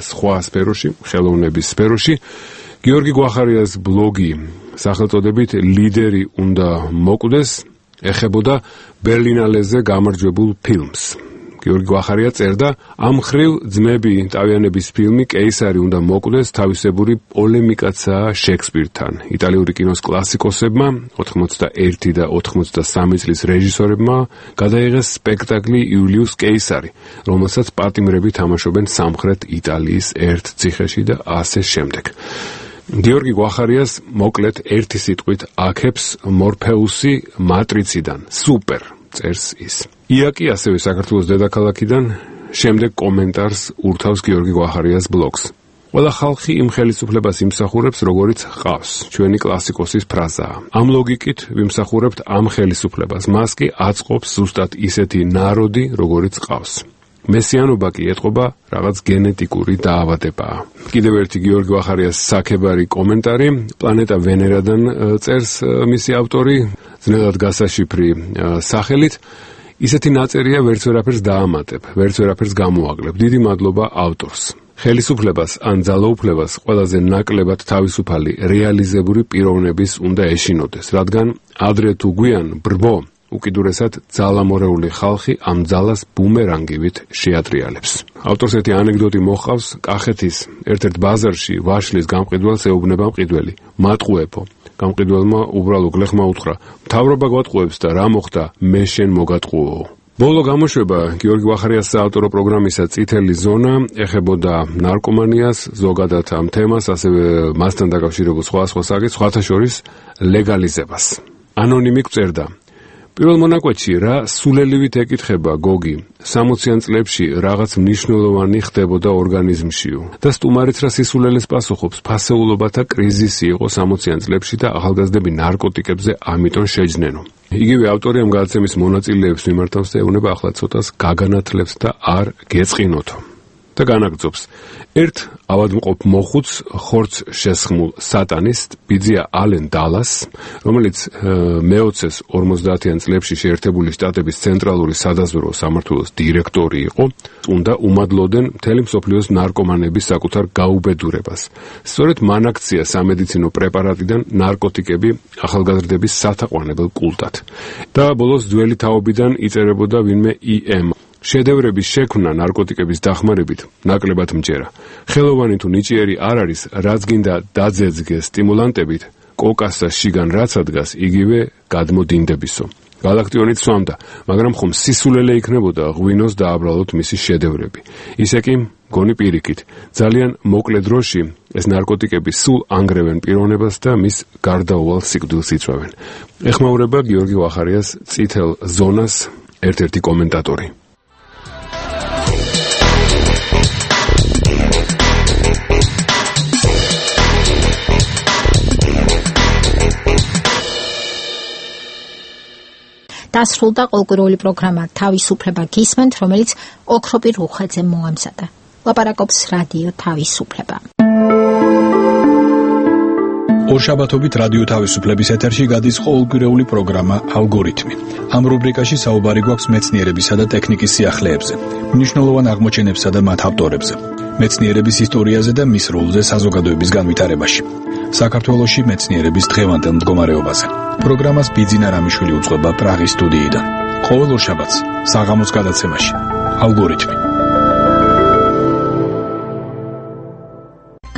სხვა სფეროში, ხელოვნების სფეროში. გიორგი გვახარიას ბლოგი სახელწოდებით ლიდერი უნდა მოკვდეს ეხებოდა ბერლინალეზე გამარჯვებულ ფილმს. გიორგი გვახარია წერდა, ამ ხრივ ძმები ტავიანების ფილმი კეისარი უნდა მოკვდეს თავისებური პოლემიკაცაა შექსპირთან. იტალიური კინოს კლასიკოსებმა 81 და 83 წლის რეჟისორებმა გადაიღეს სპექტაკლი იულიუს კეისარი, რომელსაც პატიმრები თამაშობენ სამხრეთ იტალიის ერთ ციხეში და ასე შემდეგ. გიორგი გვახარიას მოკლედ ერთი სიტყვით აქებს მორფეუსი მატრიციდან. სუპერ, წერს ის. იაკი ასევე საქართველოს დედაქალაქიდან შემდეგ კომენტარს ურთავს გიორგი გვახარიას ბლოგს. ყველა ხალხი იმ ხელისუფლებას იმსახურებს, როგორიც ჰყავს. ჩვენი კლასიკოსის ფრაზაა. ამ ლოგიკით ვიმსახურებთ ამ ხელისუფლებას. მას კი აწყობს ზუსტად ისეთი ნაროდი, როგორიც ჰყავს. მესიანობა კი ეთყობა რაღაც გენეტიკური დაავადებაა. კიდევ ერთი გიორგი გვახარიას საქებარი კომენტარი, პლანეტა ვენერადან წერს მისი ავტორი, ძნელად გასაშიფრი სახელით. ისეთი ნაწერია, ვერც ვერაფერს დაამატებ, ვერც ვერაფერს გამოაკლებ. დიდი მადლობა ავტორს. ხელისუფლებას ან ძალაუფლებას ყველაზე ნაკლებად თავისუფალი რეალიზებული პიროვნების უნდა ეშინოდეს, რადგან ადრე თუ გვიან ბრბო უკიდურესად ძალამორეული ხალხი ამ ძალას ბუმერანგივით შეატრიალებს. ავტორს ერთი ანეკდოტი მოჰყავს, კახეთის ერთ-ერთ ბაზარში ვაშლის გამყიდველს ეუბნება მყიდველი. მატყუებო. გამყიდველმა უბრალო გლეხმა უთხრა, მთავრობა გვატყუებს და რა მოხდა, მე შენ მოგატყუო. ბოლო გამოშვება გიორგი გვახარიას საავტორო პროგრამისა წითელი ზონა ეხებოდა ნარკომანიას, ზოგადად ამ თემას, ასევე მასთან დაკავშირებულ სხვა საკითხს, სხვათა შორის ლეგალიზებას. ანონიმი წერდა, პირველ მონაკვეთში რა სულელივით ეკითხება გოგი, 60-იან წლებში რაღაც მნიშვნელოვანი ხდებოდა ორგანიზმშიო და სტუმარიც რა სისულელეს პასუხობს, ფასეულობათა კრიზისი იყო 60-იან წლებში და ახალგაზრდები ნარკოტიკებზე ამიტომ შეჯნენო. იგივე ავტორი ამ გადაცემის მონაწილეებს მიმართავს და ეუბნება ახლა ცოტას გაგანათლებს და არ გეწყინოთო. და განაგრძობს. ერთ ავადმყოფ მოხუც ხორცს შესხმულ სატანისტ ბიძია ალენ დალას, რომელიც მე-20-ის 50-იან წლებში შეერთებული შტატების ცენტრალური სადაზვერვო სამმართველოს დირექტორი იყო, უნდა უმადლოდენ მთელი მსოფლიოს ნარკომანების საკუთარ გაუბედურებას. სწორედ მან აქცია სამედიცინო პრეპარატიდან ნარკოტიკები ახალგაზრდების სათაყვანებელ კულტად. და ბოლოს ძველი თაობიდან იწერებოდა ვინმე EM. შედევრების შექმნა ნარკოტიკების დახმარებით ნაკლებად მჯერა. ხელოვანი თუ ნიჭიერი არ არის, რაც გინდა დაძეძგეს სტიმულანტებით, კოკას და შიგან რაც ადგას, იგივე გადმოდინდებისო. გალაქტიონით სვამდა, მაგრამ ხომ სისულელე იქნებოდა ღვინოს დააბრალოთ მისი შედევრები. ისე კი გონი პირიქით, ძალიან მოკლე დროში ეს ნარკოტიკები სულ ანგრევენ პიროვნებას და მის გარდაუვალ სიკვდილს იწვევენ. ეხმაურება გიორგი ვახარიას წითელ ზონას ერთ-ერთი კომენტატორი. დასრულდა ყოველკვირეული პროგრამა თავისუფლება გისმენთ, რომელიც ოქროპირ უხეძე მოამზადა. ლაპარაკობს რადიო თავისუფლება. ორშაბათობით რადიო თავისუფლების ეთერში გადის ყოველკვირეული პროგრამა ალგორითმი. ამ რუბრიკაში საუბარი გვაქვს მეცნიერებისა და ტექნიკის სიახლეებზე, მნიშვნელოვან აღმოჩენებსა და მათ ავტორებზე, მეცნიერების ისტორიაზე და მის როლზე საზოგადოების განვითარებაში. საქართველოში მეცნიერების დღევანდელ მდგომარეობაზე. პროგრამას ბიძინა რამიშვილი უძღვება პრაღის სტუდიიდან. ყოველ ორშაბათს საღამოს გადაცემაში ალგორითმი.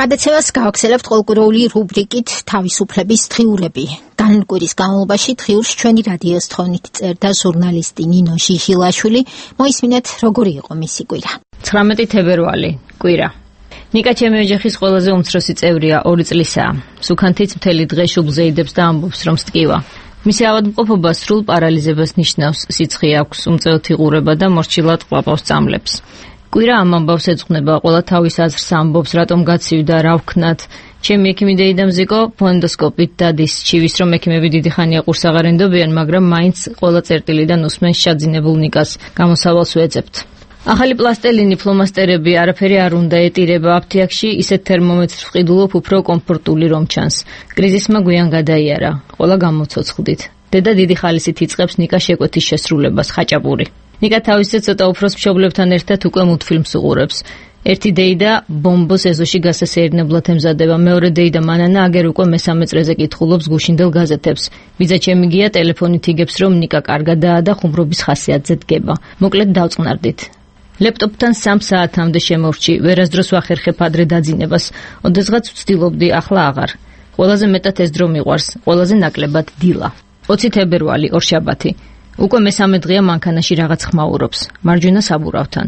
გადაცემას გავაგზავნებთ ყოველკვირეული რუბრიკით თავისუფლების დღიურები. განკვირის განმავლობაში დღიურს ჩვენი რადიოს თხოვნით წერდა ჟურნალისტი ნინო ჟიჟილაშვილი. მოისმინეთ, როგორი იყო მისი კვირა. 19 თებერვალი, კვირა. ნიკა ჩემი ოჯახის ყველაზე უმცროსი წევრია, 2 წლისაა. სუქანთიც მთელი დღე შუბლზე იდებს და ამბობს, რომ სტკივა. მისი ავადმყოფობა სრულ პარალიზებას ნიშნავს, სიცხე აქვს, უმწეოთი იყურება და მორჩილად ყლაპავს წამლებს. კვირა ამ ამბავს ეძღვნება, ყველა თავის აზრს ამბობს, რატომ გაცივდა, რა ვქნათ. ჩემი ექიმი დეიდამ ზიკო ფონდოსკოპით დადის, ჩივის რომ ექიმები დიდი ხანია ყურს აღარ ენდობიან, მაგრამ მაინც ყველა წერტილიდან უსმენს შაძინებულ ნიკას, გამოსავალს ვეძებთ. ახალი პლასტელინი, ფლომასტერები, არაფერი არ უნდა ეტირება აფთიაქში, ისეთ თერმომეტრს ვყიდულობ, უფრო კომფორტული რომ ჩანს. კრიზისმა გვიან გადაიარა, ყველა გამოცოცხლდით. დედა დიდი ხალისით იწყებს ნიკას შეკვეთის შესრულებას, ხაჭაპური. ნიკა თავისზე ცოტა უფროს მშობლებთან ერთად უკვე მულტფილმს უყურებს. ერთი დეიდა ბომბოს ეზოში გასასეირნებლად ემზადება, მეორე დეიდა მანანა აგერ უკვე მესამე წრეზე კითხულობს გუშინდელ გაზეთებს. ბიძა ჩემი გია ტელეფონით იგებს, რომ ნიკა კარგადაა და ხუმრობის ხასიათზე დგება. მოკლედ დავწყნარდით. ლეპტოპთან 3 საათამდე შემორჩი, ვერასდროს ვახერხებ ადრე დაძინებას. ოდესღაც ვცდილობდი, ახლა აღარ. ყველაზე მეტად ეს დრო მიყვარს, ყველაზე ნაკლებად დილა. 20 თებერვალი, ორშაბათი. უკვე მესამე დღეა მანქანაში რაღაც ხმაურობს, მარჯვენა საბურავთან.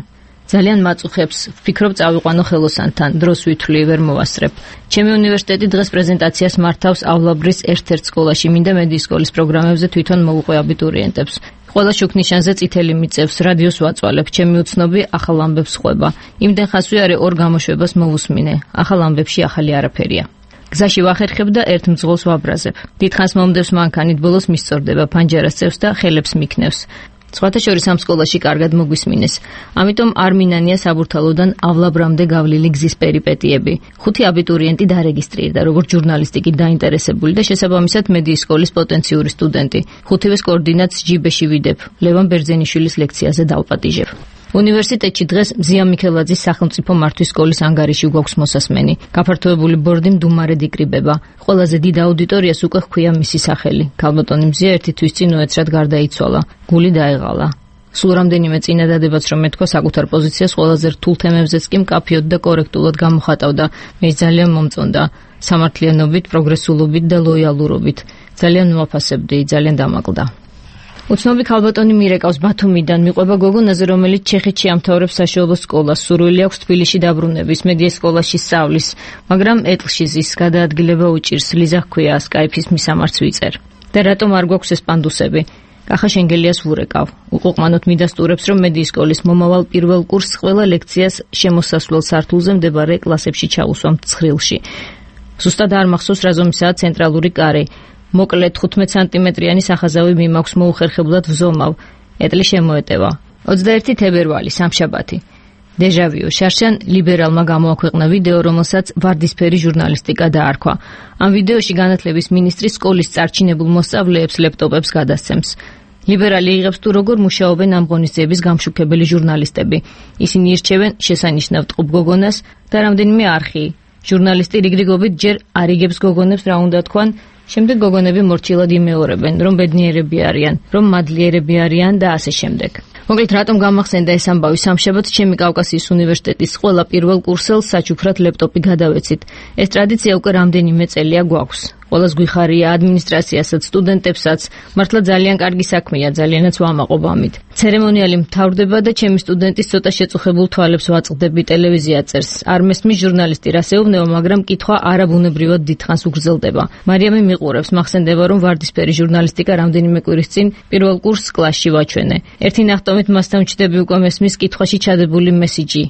ძალიან მაწუხებს, ვფიქრობ წავიყვანო ხელოსანთან, დროს ვითვლი, ვერ მოვასწრებ. ჩემი უნივერსიტეტი დღეს პრეზენტაციას მართავსავლაბრის ერთ-ერთ სკოლაში, მინდა მედიის სკოლის პროგრამებზე თვითონ მოვუყვე აბიტურიენტებს. ყველა შუქნიშანზე წითელი მიწევს, რადიოს ვაწვალებ, ჩემი უცნობი ახალ ამბებს ხვება. იმდენ ხასვე არე ორ გამოშვებას მოვუსმინე, ახალ ამბებში ახალი არაფერია. გზაში ვახერხებ და ერთ მძღოლს ვაბრაზებ. დიდხანს მომდევს მანქანით, ბოლოს მისწორდება, ფანჯარას წევს და ხელებს მიქნევს. სხვათა შორის ამ სკოლაში კარგად მოგვისმინეს. ამიტომ არ მინანია საბურთალოდან ავლაბრამდე გავლილი გზის პერიპეტიები. 5 აბიტურიენტი დარეგისტრირდა, როგორც ჟურნალისტიკით დაინტერესებული და შესაბამისად მედიის სკოლის პოტენციური სტუდენტი. 5-ვეს კოორდინატს ჯიბეში ვიდებ. ლევან ბერძენიშვილის ლექციაზე დავპატიჟებ. უნივერსიტეტში დღეს მზია მიქელაძის სახელმწიფო მართვის სკოლის ანგარიში გვაქვს მოსასმენი. გაფართოებული ბორდი მდუმარედ იკრიბება. ყველაზე დიდ აუდიტორიას უკვე ჰქვია მისი სახელი. ქალბატონი მზია ერთი თვის წინ უეცრად გარდაიცვალა. გული დაეღალა. სულ რამდენიმე წინადადებაც რომ მეთქვა საკუთარ პოზიციას ყველაზე რთულ თემებზეც კი მკაფიოდ და კორექტულად გამოხატავდა. მე ძალიან მომწონდა. სამართლიანობით, პროგრესულობით და ლოიალურობით. ძალიან მოაფასებდი, ძალიან დამაკლდა. უცნობი ქალბატონი მირეკავს ბათუმიდან, მიყვება გოგონაზე, რომელიც ჩეხეთში ამთავრებს საშუალო სკოლას, სურვილი აქვს თბილისში დაბრუნების, მედიის სკოლაში სწავლის, მაგრამ ეტლში ზის, გადაადგილება უჭირს, ლიზა ჰქვია, სკაიფის მისამართს ვიწერ. და რატომ არ გვაქვს ეს პანდუსები? კახა შენგელიას ვურეკავ. უყოყმანოთ მიდასტურებს, რომ მედიის სკოლის მომავალ პირველ კურსს ყველა ლექციას შემოსასვლელ სართულზე მდებარე კლასებში ჩაუსვამთ ცხრილში. ზუსტად არ მახსოვს რა ზომისაა ცენტრალური კარი. მოკლედ 15 სანტიმეტრიანი სახაზავი მიმაქვს, მოუხერხებლად ვზომავ. ეტლი შემოეტევა. 21 თებერვალი, სამშაბათი. დეჟავიუ შარშან ლიბერალმა გამოაქვეყნა ვიდეო, რომელსაც ვარდისფერი ჟურნალისტიკა დაარქვა. ამ ვიდეოში განათლების მინისტრი სკოლის წარჩინებულ მოსწავლეებს ლეპტოპებს გადასცემს. ლიბერალი იღებს თუ როგორ მუშაობენ ამ ღონისძიების გამშუქებელი ჟურნალისტები. ისინი ირჩევენ შესანიშნავ ტყუპ გოგონას და რამდენიმე არხი. ჟურნალისტი რიგრიგობით ჯერ არ იგებს გოგონებს რა უნდა თქვან, შემდეგ გოგონები მორჩილად იმეორებენ, რომ ბედნიერები არიან, რომ მადლიერები არიან და ასე შემდეგ. მოკლედ, რატომ გამახსენდა ეს ამბავი სამშაბათს ჩემი კავკასიის უნივერსიტეტის ყველა პირველ კურსელს საჩუქრად ლეპტოპი გადავეცით. ეს ტრადიცია უკვე რამდენიმე წელია გვაქვს. ყველას გვიხარია, ადმინისტრაციასაც, სტუდენტებსაც, მართლა ძალიან კარგი საქმეა, ძალიანაც ვამაყობ ამით. ცერემონიალი მთავრდება და ჩემი სტუდენტის ცოტა შეწუხებულ თვალებს ვაწყდები, ტელევიზია წერს. არ მესმის ჟურნალისტი რას ეუბნება, მაგრამ კითხვა არაბუნებრივად დიდხანს უგრძელდება. მარიამი მიყურებს, მახსენდება, რომ ვარდისფერი ჟურნალისტიკა რამდენიმე კვირის წინ პირველ კურსს კლასში ვაჩვენე. ერთი ნახტომით მასთან ვჩდები უკვე მესმის კითხვაში ჩადებული მესიჯი.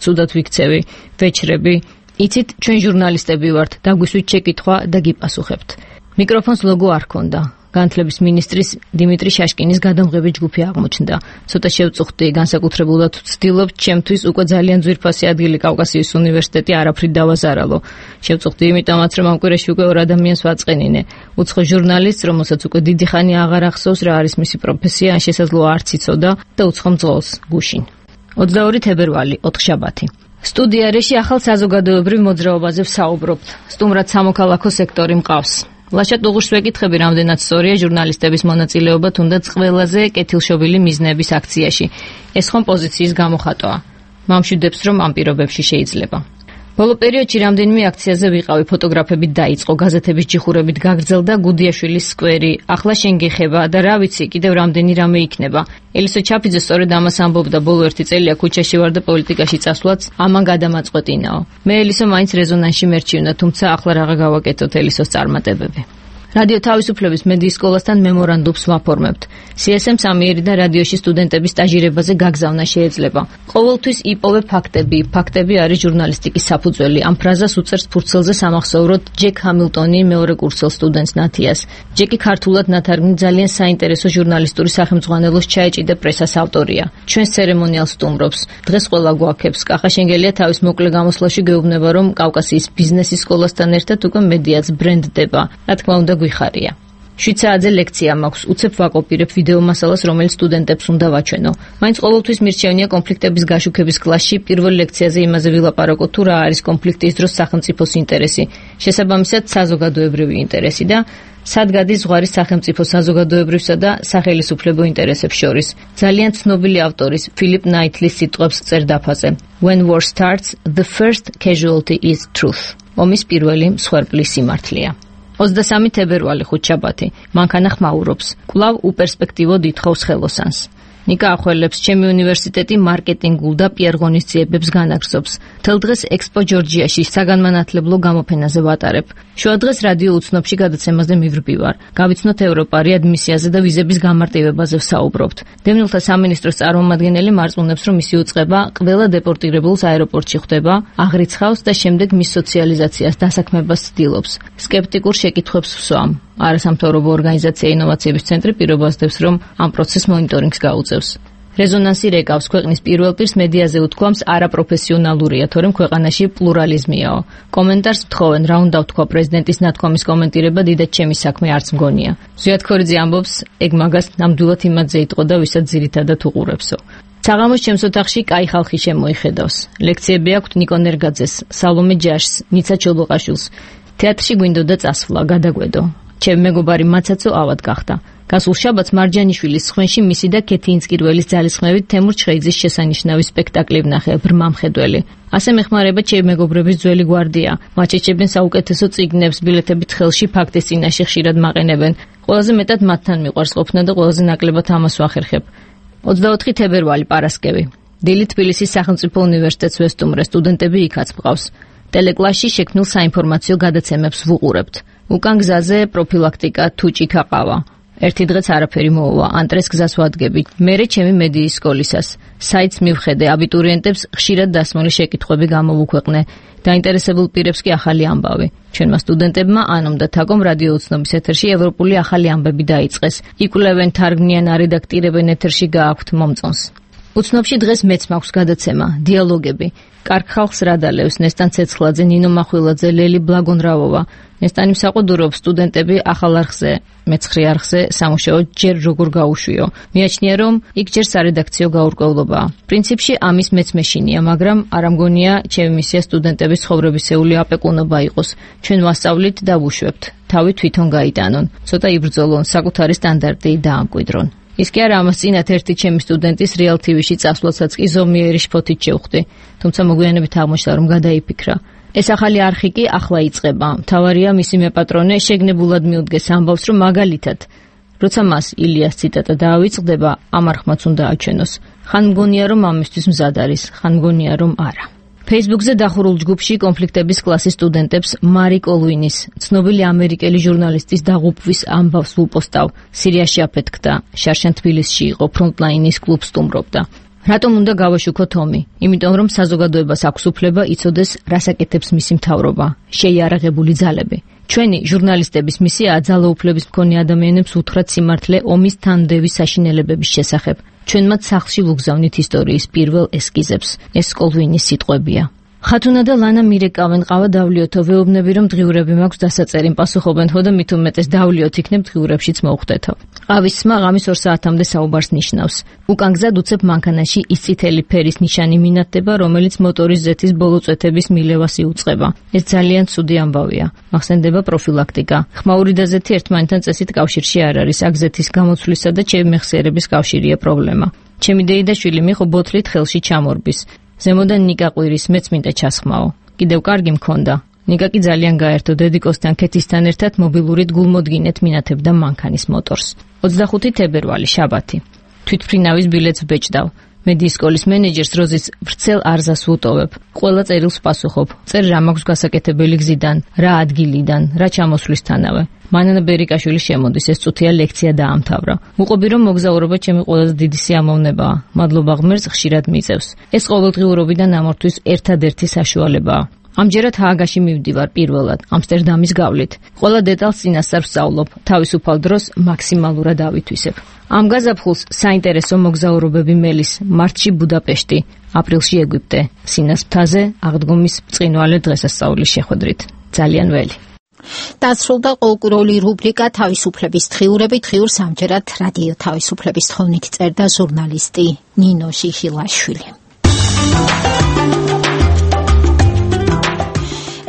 ცუდად ვიქცევი, ვეჩრები. იცით, ჩვენ ჟურნალისტები ვართ, დაგვისვით შეკითხვა და გიპასუხებთ. მიკროფონს ლოგო არ ქონდა. განათლების მინისტრის დიმიტრი შაშკინის გადამღები ჯგუფი აღმოჩნდა. ცოტა შევწუხდი, განსაკუთრებულად ვცდილობ, ჩემთვის უკვე ძალიან ძვირფასი ადგილი კავკასიის უნივერსიტეტი არაფრით დავაზარალო. შევწუხდი იმიტომაც, რომ ამ კვირაში უკვე 2 ადამიანს ვაწყენინე. უცხო ჟურნალისტს, რომელსაც უკვე დიდი ხანი აღარ ახსოვს რა არის მისი პროფესია, ან შესაძლოა არც იცოდა და უცხო მძღოლს გუშინ. 22 თებერვალი, ოთხშაბათი. სტუდიაში ახალ საზოგადოებრივ მოძრაობაზე ვსაუბრობთ. სტუმრად სამოქალაქო სექტორი მყავს. ლაშა ტუღუშს ვეკითხები, რამდენად სწორია ჟურნალისტების მონაწილეობა თუნდაც ყველაზე კეთილშობილი მიზნების აქციაში. ეს ხომ პოზიციის გამოხატვაა. მამშვიდებს, რომ ამ პირობებში შეიძლება. ბოლო პერიოდში რამდენიმე აქციაზე ვიყავი, ფოტოგრაფებით დაიწყო, გაზეთების ჯიხურებით გაგრძელდა გუდიაშვილის სკვერი, ახლა შენ გეხება და რა ვიცი, კიდევ რამდენი რამე იქნება. ელისო ჩაფიძე სწორედ ამას ამბობდა, ბოლო 1 წელია ქუჩაში ვარ და პოლიტიკაში წასვლაც ამან გადამაწყვეტინაო. მე ელისო მაინც რეზონანსში მერჩივნა, თუმცა ახლა რაღა გავაკეთოთ ელისოს წარმატებები. რადიო თავისუფლების მედიის სკოლასთან მემორანდუმს ვაფორმებთ. CSM სამიერიდან რადიოში სტუდენტების სტაჟირებაზე გაგზავნა შეიძლება. ყოველთვის იპოვე ფაქტები. ფაქტები არის ჟურნალისტიკის საფუძველი. ამ ფრაზას უწერს ფურცელზე სამახსოვროდ ჯეკ ჰამილტონი მეორე კურსელ სტუდენტს ნათიას. ჯეკი ქართულად ნათარგმნი ძალიან საინტერესო ჟურნალისტური სახელმძღვანელოს ჩაეჭიდა პრესას ავტორია. ჩვენს ცერემონიალს სტუმრობს. დღეს ყველა გვაქებს. კახა შენგელია თავის მოკლე გამოსვლაში გეუბნება, რომ კავკასიის ბიზნესის სკოლასთან ერთად უკვე მედიაც ბრენდდება. რა თქმა უნდა გვიხარია. 7 საათზე ლექცია მაქვს, უცებ ვაკოპირებ ვიდეო მასალას, რომელიც სტუდენტებს უნდა ვაჩვენო. მაინც ყოველთვის მირჩევნია კონფლიქტების გაშუქების კლასში პირველ ლექციაზე იმაზე ვილაპარაკო, თუ რა არის კონფლიქტის დროს სახელმწიფოს ინტერესი, შესაბამისად საზოგადოებრივი ინტერესი და სად გადის ზღვარი სახელმწიფო საზოგადოებრივსა და სახელისუფლებო ინტერესებს შორის. ძალიან ცნობილი ავტორის ფილიპ ნაითლის სიტყვებს წერ დაფაზე. When war starts, the first casualty is truth. ომის პირველი მსხვერპლი სიმართლეა. 23 თებერვალი, ხუთშაბათი. მანქანა ხმაურობს. კვლავ უპერსპექტივო ითხოვს ხელოსანს. ნიკა ახველებს, ჩემი უნივერსიტეტი მარკეტინგულ და პიარ ღონისძიებებს განაგრძობს. თელ დღეს ექსპო ჯორჯიაში საგანმანათლებლო გამოფენაზე ვატარებ. შუა დღეს რადიო უცნობში გადაცემაზე მივრბივარ. გავიცნოთ ევროპა, რეადმისიაზე და ვიზების გამარტივებაზე ვსაუბრობთ. დევნილთა სამინისტროს წარმომადგენელი მარწმუნებს, რომ მისი უწყება ყველა დეპორტირებულს აეროპორტში ხვდება, აღრიცხავს და შემდეგ მის სოციალიზაციას დასაქმებას ცდილობს. სკეპტიკურ შეკითხვებს ვსვამ. არასამთავრობო ორგანიზაცია ინოვაციების ცენტრი პირობას დევს, რომ ამ პროცესს მონიტორინგს გაუწევს. რეზონანსი რეკავს, ქვეყნის პირველ პირს მედიაზე უთქვამს არაპროფესიონალურია, თორემ ქვეყანაში პლურალიზმიაო. კომენტარს ვთხოვენ, რა უნდა ვთქვა პრეზიდენტის ნათქვამის კომენტირება დიდად ჩემი საქმე არც მგონია. ზვიად ქორიძე ამბობს, ეგ მაგას ნამდვილად იმადზე იტყო და ვისაც ძირითადად უყურებსო. საღამოს ჩემს ოთახში კაი ხალხი შემოიხედავს. ლექციები აქვთ ნიკო ნერგაძეს, სალომე ჯაშს, ნიცა ჩოლოყაშვილს. თეატრში გვინდოდა წასვლა, გადაგვედო. ჩემი მეგობარი მაცაცო ავად გახდა. გასულ შაბათს მარჯანიშვილის ხვენში მისი და ქეთინსკირველის ძალისხმევით თემურ ჩხეიძის შესანიშნავი სპექტაკლი ვნახე, ბრმა მხედველი. ასე მეხმარება ჩემი მეგობრების ძველი გვარდია. მათ შეჭებენ საუკეთესო წიგნებს, ბილეთებით ხელში ფაქტის წინაშე ხშირად მაყენებენ. ყველაზე მეტად მათთან მიყვარს ყოფნა და ყველაზე ნაკლებად ამას ვახერხებ. 24 თებერვალი, პარასკევი. დილით თბილისის სახელმწიფო უნივერსიტეტს ვესტუმრე, სტუდენტები იქაც მყავს. ტელეკლასში შექმნილ საინფორმაციო გადაცემებს ვუყურებთ. უკან გზაზე პროფილაქტიკა, თუჭი ქაყავა. ერთი დღეც არაფერი მოუვა, ანტრეს გზას ვადგები. მერე ჩემი მედიის სკოლისას. საიტს მივხედე, აბიტურიენტებს ხშირად დასმული შეკითხვები გამოვუქვეყნე. დაინტერესებულ პირებს კი ახალი ამბავი. ჩვენმა სტუდენტებმა ანომ და თაკომ რადიო უცნობის ეთერში ევროპული ახალი ამბები დაიწყეს. იკვლევენ, თარგმნიან, არედაქტირებენ, ეთერში გააქვთ მომწონს. უცნობში დღეს მეც მაქვს გადაცემა, დიალოგები. კარგ ხალხს რადალევს ნესტან ცეცხლაძე, ნინო მახვილაძე, ლელი ბლაგონრავოვა. ნესტანი მსაყუდურობს სტუდენტები ახალ არხზე, მეცხრე არხზე სამუშაო ჯერ როგორ გაუშვიო. მიაჩნია რომ იქ ჯერ სარედაქციო გაურკვევლობაა. პრინციპში ამის მეც მეშინია, მაგრამ არ ამგონია ჩემი მისია სტუდენტების ცხოვრებისეული აპეკუნობა იყოს. ჩვენ ვასწავლით და ვუშვებთ. თავი თვითონ გაიტანონ, ცოტა იბრძოლონ, საკუთარი სტანდარტი დაამკვიდრონ. ის კი არა ამას წინათ ერთი ჩემი სტუდენტის Real TV-ში წასვლასაც კი ზომიერი შფოთით შევხვდი, თუმცა მოგვიანებით აღმოჩნდა რომ გადაიფიქრა. ეს ახალი არხი კი ახლა იწყება. მთავარია მისი მეპატრონე შეგნებულად მიუდგეს ამბავს, რომ მაგალითად, როცა მას ილიას ციტატა დაავიწყდება, ამ არხმაც უნდა აჩვენოს. ხან მგონია რომ ამისთვის მზად არის, ხან მგონია რომ არა. Facebook-ზე დახურულ ჯგუფში კონფლიქტების კლასის სტუდენტებს მარი კოლვინის, ცნობილი ამერიკელი ჟურნალისტის დაღუპვის ამბავს ვუპოსტავ. სირიაში აფეთქდა, შარშან თბილისში იყო, ფრონტლაინის კლუბს სტუმრობდა. რატომ უნდა გავაშუქო თომი? იმიტომ რომ საზოგადოებას აქვს უფლება იცოდეს, რას აკეთებს მისი მთავრობა, შეიარაღებული ძალები. ჩვენი ჟურნალისტების მისიაა ძალაუფლების მქონე ადამიანებს უთხრათ სიმართლე ომის თანმდევის საშინელებების შესახებ. ჩვენ მათ სახლში ვუგზავნით ისტორიის პირველ ესკიზებს. ეს კოლვინის სიტყვებია. ხათუნა და ლანა მირეკავენ ყავა დავლიოთო, ვეუბნები რომ დღიურები მაქვს დასაწერი, პასუხობენ ხო და მით უმეტეს დავლიოთ იქნებ დღიურებშიც მოუხდეთო. ყავის სმა ღამის 2 საათამდე საუბარს ნიშნავს. უკან გზად უცებ მანქანაში ის წითელი ფერის ნიშანი მინათდება, რომელიც მოტორის ზეთის ბოლო წვეთების მილევას იუწყება. ეს ძალიან ცუდი ამბავია. მახსენდება პროფილაქტიკა. ხმაური და ზეთი ერთმანეთთან წესით კავშირში არ არის. აქ ზეთის გამოცვლისა და ჩემი მეხსიერების კავშირია პრობლემა. ჩემი დეიდაშვილი მიხო ბოთლით ხელში ჩამორბის. ზემოდან ნიკა ყვირის, მეც მინდა ჩასხმაო. კიდევ კარგი მქონდა. ნიკა კი ძალიან გაერთო, დედიკოსთან ქეთისთან ერთად მობილურით გულმოდგინეთ მინათებდა მანქანის მოტორს. 25 თებერვალი, შაბათი. თვითმფრინავის ბილეთს ვბეჭდავ. მე დისკოლის მენეჯერს როზის ვრცელ არზას ვუტოვებ. ყველა წერილს პასუხობ. წერ რა მაქვს გასაკეთებელი გზიდან, რა ადგილიდან, რა ჩამოსვლისთანავე. მანანა ბერიკაშვილი შემოდის, ეს წუთია ლექცია დაამთავრა. ვუყობი რომ მოგზაურობა ჩემი ყველაზე დიდი სიამოვნებაა. მადლობა ღმერთს, ხშირად მიწევს. ეს ყოველდღიურობიდან ამორთვის ერთადერთი საშუალებაა. ამჯერად ჰააგაში მივდივარ პირველად, ამსტერდამის გავლით. ყველა დეტალს წინასწარ ვსწავლობ, თავისუფალ დროს მაქსიმალურად ავითვისებ. ამ გაზაფხულს საინტერესო მოგზაურობები მელის, მარტში ბუდაპეშტი, აპრილში ეგვიპტე, სინას მთაზე, აღდგომის ბრწყინვალე დღესასწაულის შეხვედრით. ძალიან ველი. დასრულდა ყოველკვირეული რუბრიკა თავისუფლების დღიურები. დღიურს ამჯერად რადიო თავისუფლების თხოვნით წერდა ჟურნალისტი ნინო შიშილაშვილი.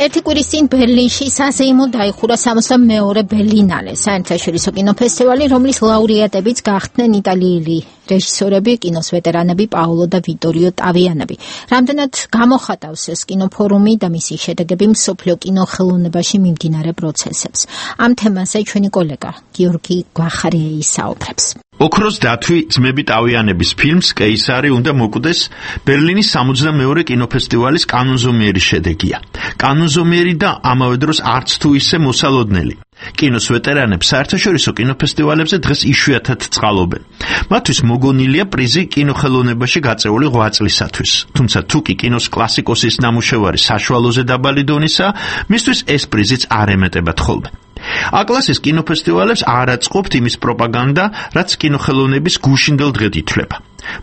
ერთი კვირის წინ ბერლინში საზეიმოდ დაიხურა 62-ე ბერლინალე, საერთაშორისო კინოფესტივალი, რომლის ლაურეატებიც გახდნენ იტალიელი რეჟისორები, კინოს ვეტერანები პაოლო და ვიტორიო ტავიანები. რამდენად გამოხატავს ეს კინოფორუმი და მისი შედეგები მსოფლიო კინოხელოვნებაში მიმდინარე პროცესებს. ამ თემაზე ჩვენი კოლეგა გიორგი გვახარიე ისაუბრებს. ოქროს დათვი ძმები ტავიანების ფილმს კეისარი უნდა მოკვდეს ბერლინის 62-ე კინოფესტივალის კანონზომიერი შედეგია. კანონზომიერი და ამავე დროს არც თუ ისე მოსალოდნელი. კინოს ვეტერანებს საერთაშორისო კინოფესტივალებზე დღეს იშვიათად წყალობენ. მათთვის მოგონილია პრიზი კინოხელოვნებაში გაწეული 8 წლისათვის. თუმცა თუ კი კინოს კლასიკოსის ნამუშევარი საშუალოზე დაბალი დონისაა, მისთვის ეს პრიზიც არ ემეტებათ ხოლმე. აკლასის კინოფესტივალებს არ აწყობთ იმის პროპაგანდა, რაც კინოხელოვნების გუშინდელ დღედ ითვლება.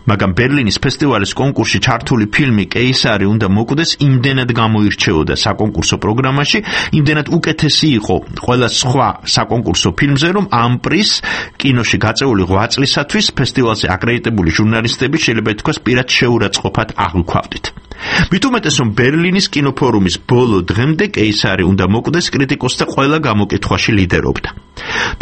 მაგრამ ბერლინის ფესტივალის კონკურსში ჩართული ფილმი კეისარი უნდა მოკვდეს იმდენად გამოირჩეოდა საკონკურსო პროგრამაში, იმდენად უკეთესი იყო ყველა სხვა საკონკურსო ფილმზე, რომ ამ პრიზს კინოში გაწეული 8 წლისათვის ფესტივალზე აკრედიტებული ჟურნალისტები შეიძლება ითქვას პირად შეურაცხყოფად აღვქვავდით. მით უმეტეს რომ ბერლინის კინოფორუმის ბოლო დღემდე კეისარი უნდა მოკვდეს კრიტიკოსთა ყველა გამოკითხვაში ლიდერობდა.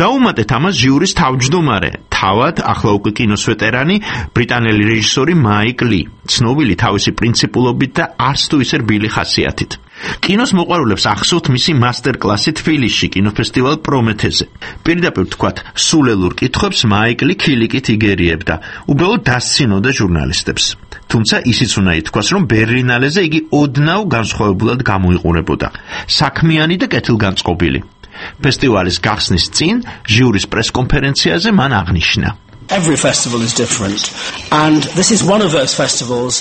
დაუმატეთ ამას ჟიურის თავმჯდომარე, თავად ახლა უკვე კინოს ვეტერანი ბრიტანელი რეჟისორი მაიკ ლი, ცნობილი თავისი პრინციპულობით და არც თუ ისე რბილი ხასიათით. კინოს მოყვარულებს ახსოვთ მისი მასტერკლასი თბილისში კინოფესტივალ პრომეთეზე. პირდაპირ ვთქვათ, სულელურ კითხვებს მაიკ ლი ქილიკით იგერიებდა, უბრალოდ დასცინოდა ჟურნალისტებს. თუმცა ისიც უნდა ითქვას, რომ ბერლინალეზე იგი ოდნავ განსხვავებულად გამოიყურებოდა, საქმიანი და კეთილგანწყობილი. ფესტივალის გახსნის წინ ჟიურის პრესკონფერენციაზე მან აღნიშნა. Every festival is different and this is one of those festivals.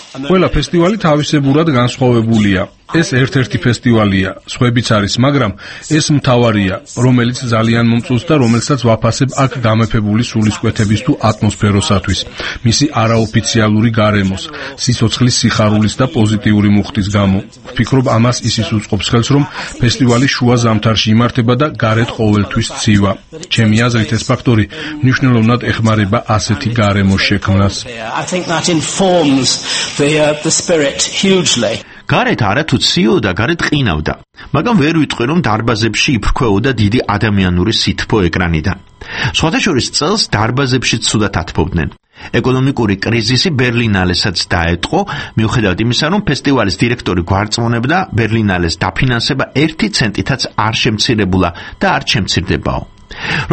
ყველა ფესტივალი თავისებურად განსხვავებულია. ეს ერთ-ერთი ფესტივალია, სხვებიც არის, მაგრამ ეს მთავარია, რომელიც ძალიან მომწონს და რომელსაც ვაფასებ აქ გამეფებული სულისკვეთების თუ ატმოსფეროსათვის, მისი არაოფიციალური გარემოს, სიცოცხლის სიხარულის და პოზიტიური მუხტის გამო. ვფიქრობ, ამას ისიც უწყობს ხელს, რომ ფესტივალი შუა ზამთარში იმართება და გარეთ ყოველთვის ცივა. ჩემი აზრით ეს ფაქტორი მნიშვნელოვნად ეხმარება ასეთი გარემოს შექმნას. I think that informs the spirit hugely. გარეთ არათუ ციოდა, გარეთ ყინავდა, მაგრამ ვერ ვიტყვი, რომ დარბაზებში იფრქვეოდა დიდი ადამიანური სითბო ეკრანიდან. სხვადასხვა წელს დარბაზებში ცუდად ათბობდნენ. ეკონომიკური კრიზისი ბერლინალესაც დაეტყო, მიუხედავად იმისა, რომ ფესტივალის დირექტორი გვარწმუნებდა, ბერლინალეს დაფინანსება 1 ცენტითაც არ შემცირებულა და არ შემცირდებაო.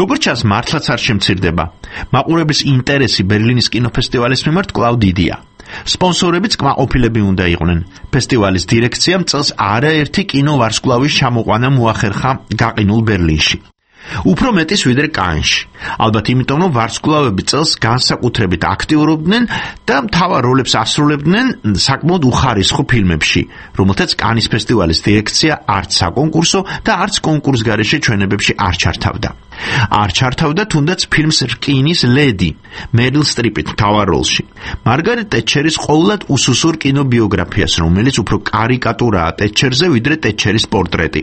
როგორც ჩანს, მართლაც არ შემცირდება. მაყურებლის ინტერესი ბერლინის კინოფესტივალის მიმართ კვლავ დიდია. სპონსორებიც კმაყოფილები უნდა იყვნენ. ფესტივალის დირექციამ წელს არაერთი კინოვარსკვლავის ჩამოყვანა მოახერხა გაყინულ ბერლინში. უფრო მეტის ვიდრე კანში. ალბათ იმიტომ, რომ ვარსკვლავები წელს განსაკუთრებით აქტიურობდნენ და მთავარ როლებს ასრულებდნენ საკმაოდ უხარისხო ფილმებში, რომელთაც კანის ფესტივალის დირექცია არც საკონკურსო და არც კონკურსგარეშე ჩვენებებში არ ჩართავდა. არ ჩართავდა თუნდაც ფილმს რკინის ლედი, მერილ სტრიპით მთავარ როლში. მარგარეტ ტეტჩერის ყოვლად უსუსურ კინობიოგრაფიას, რომელიც უფრო კარიკატურაა ტეტჩერზე, ვიდრე ტეტჩერის პორტრეტი.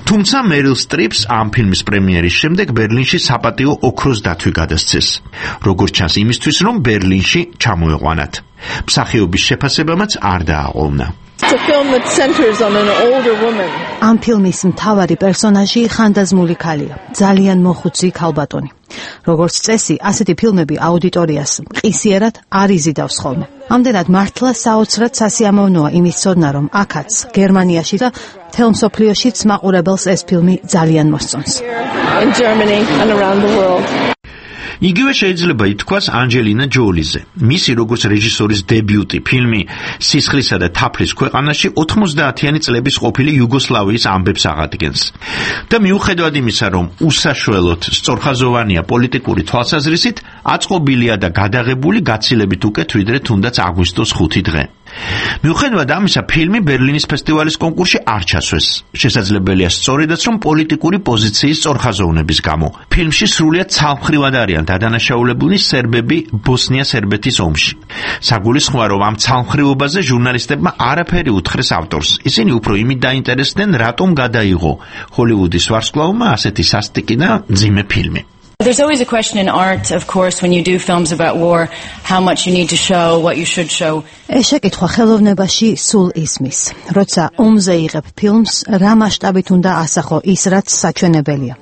თუმცა მერილ სტრიპს ამ ფილმის პრემიერის შემდეგ ბერლინში საპატიო ოქროს დათვი გადასცეს. როგორც ჩანს იმისთვის, რომ ბერლინში ჩამოეყვანათ. მსახიობის შეფასებამაც არ დააყოლნა. ამ ფილმის მთავარი პერსონაჟი ხანდაზმული ქალია, ძალიან მოხუცი ქალბატონი. როგორც წესი, ასეთი ფილმები აუდიტორიას მყისიერად არ იზიდავს ხოლმე. ამდენად მართლა საოცრად სასიამოვნოა იმის ცოდნა, რომ აქაც, გერმანიაში და მთელ მსოფლიოშიც მაყურებელს ეს ფილმი ძალიან მოსწონს. იგივე შეიძლება ითქვას ანჯელინა ჯოლიზე. მისი როგორც რეჟისორის დებიუტი ფილმი სისხლისა და თაფლის ქვეყანაში 90-იანი წლების ყოფილი იუგოსლავიის ამბებს აღადგენს. და მიუხედავად იმისა, რომ უსაშველოდ სწორხაზოვანია პოლიტიკური თვალსაზრისით, აწყობილია და გადაღებული გაცილებით უკეთ ვიდრე თუნდაც აგვისტოს 5 დღე. მიუხედავად ამისა, ფილმი ბერლინის ფესტივალის კონკურსში არ ჩასვეს. შესაძლებელია სწორედაც, რომ პოლიტიკური პოზიციის სწორხაზოვნების გამო. ფილმში სრულიად ცალმხრივად არიან დადანაშაულებული სერბები ბოსნია-სერბეთის ომში. საგულისხმოა, რომ ამ ცალმხრივობაზე ჟურნალისტებმა არაფერი უთხრეს ავტორს. ისინი უფრო იმით დაინტერესდნენ, რატომ გადაიღო ჰოლივუდის ვარსკვლავმა ასეთი სასტიკი და მძიმე ფილმი. There's always a question in art, of course, when you do films about war, how much you need to show, what you should show. ეს შეკითხვა ხელოვნებაში სულ ისმის. როცა ომზე იღებ ფილმს, რა მასშტაბით უნდა ასახო ის, რაც საჩვენებელია.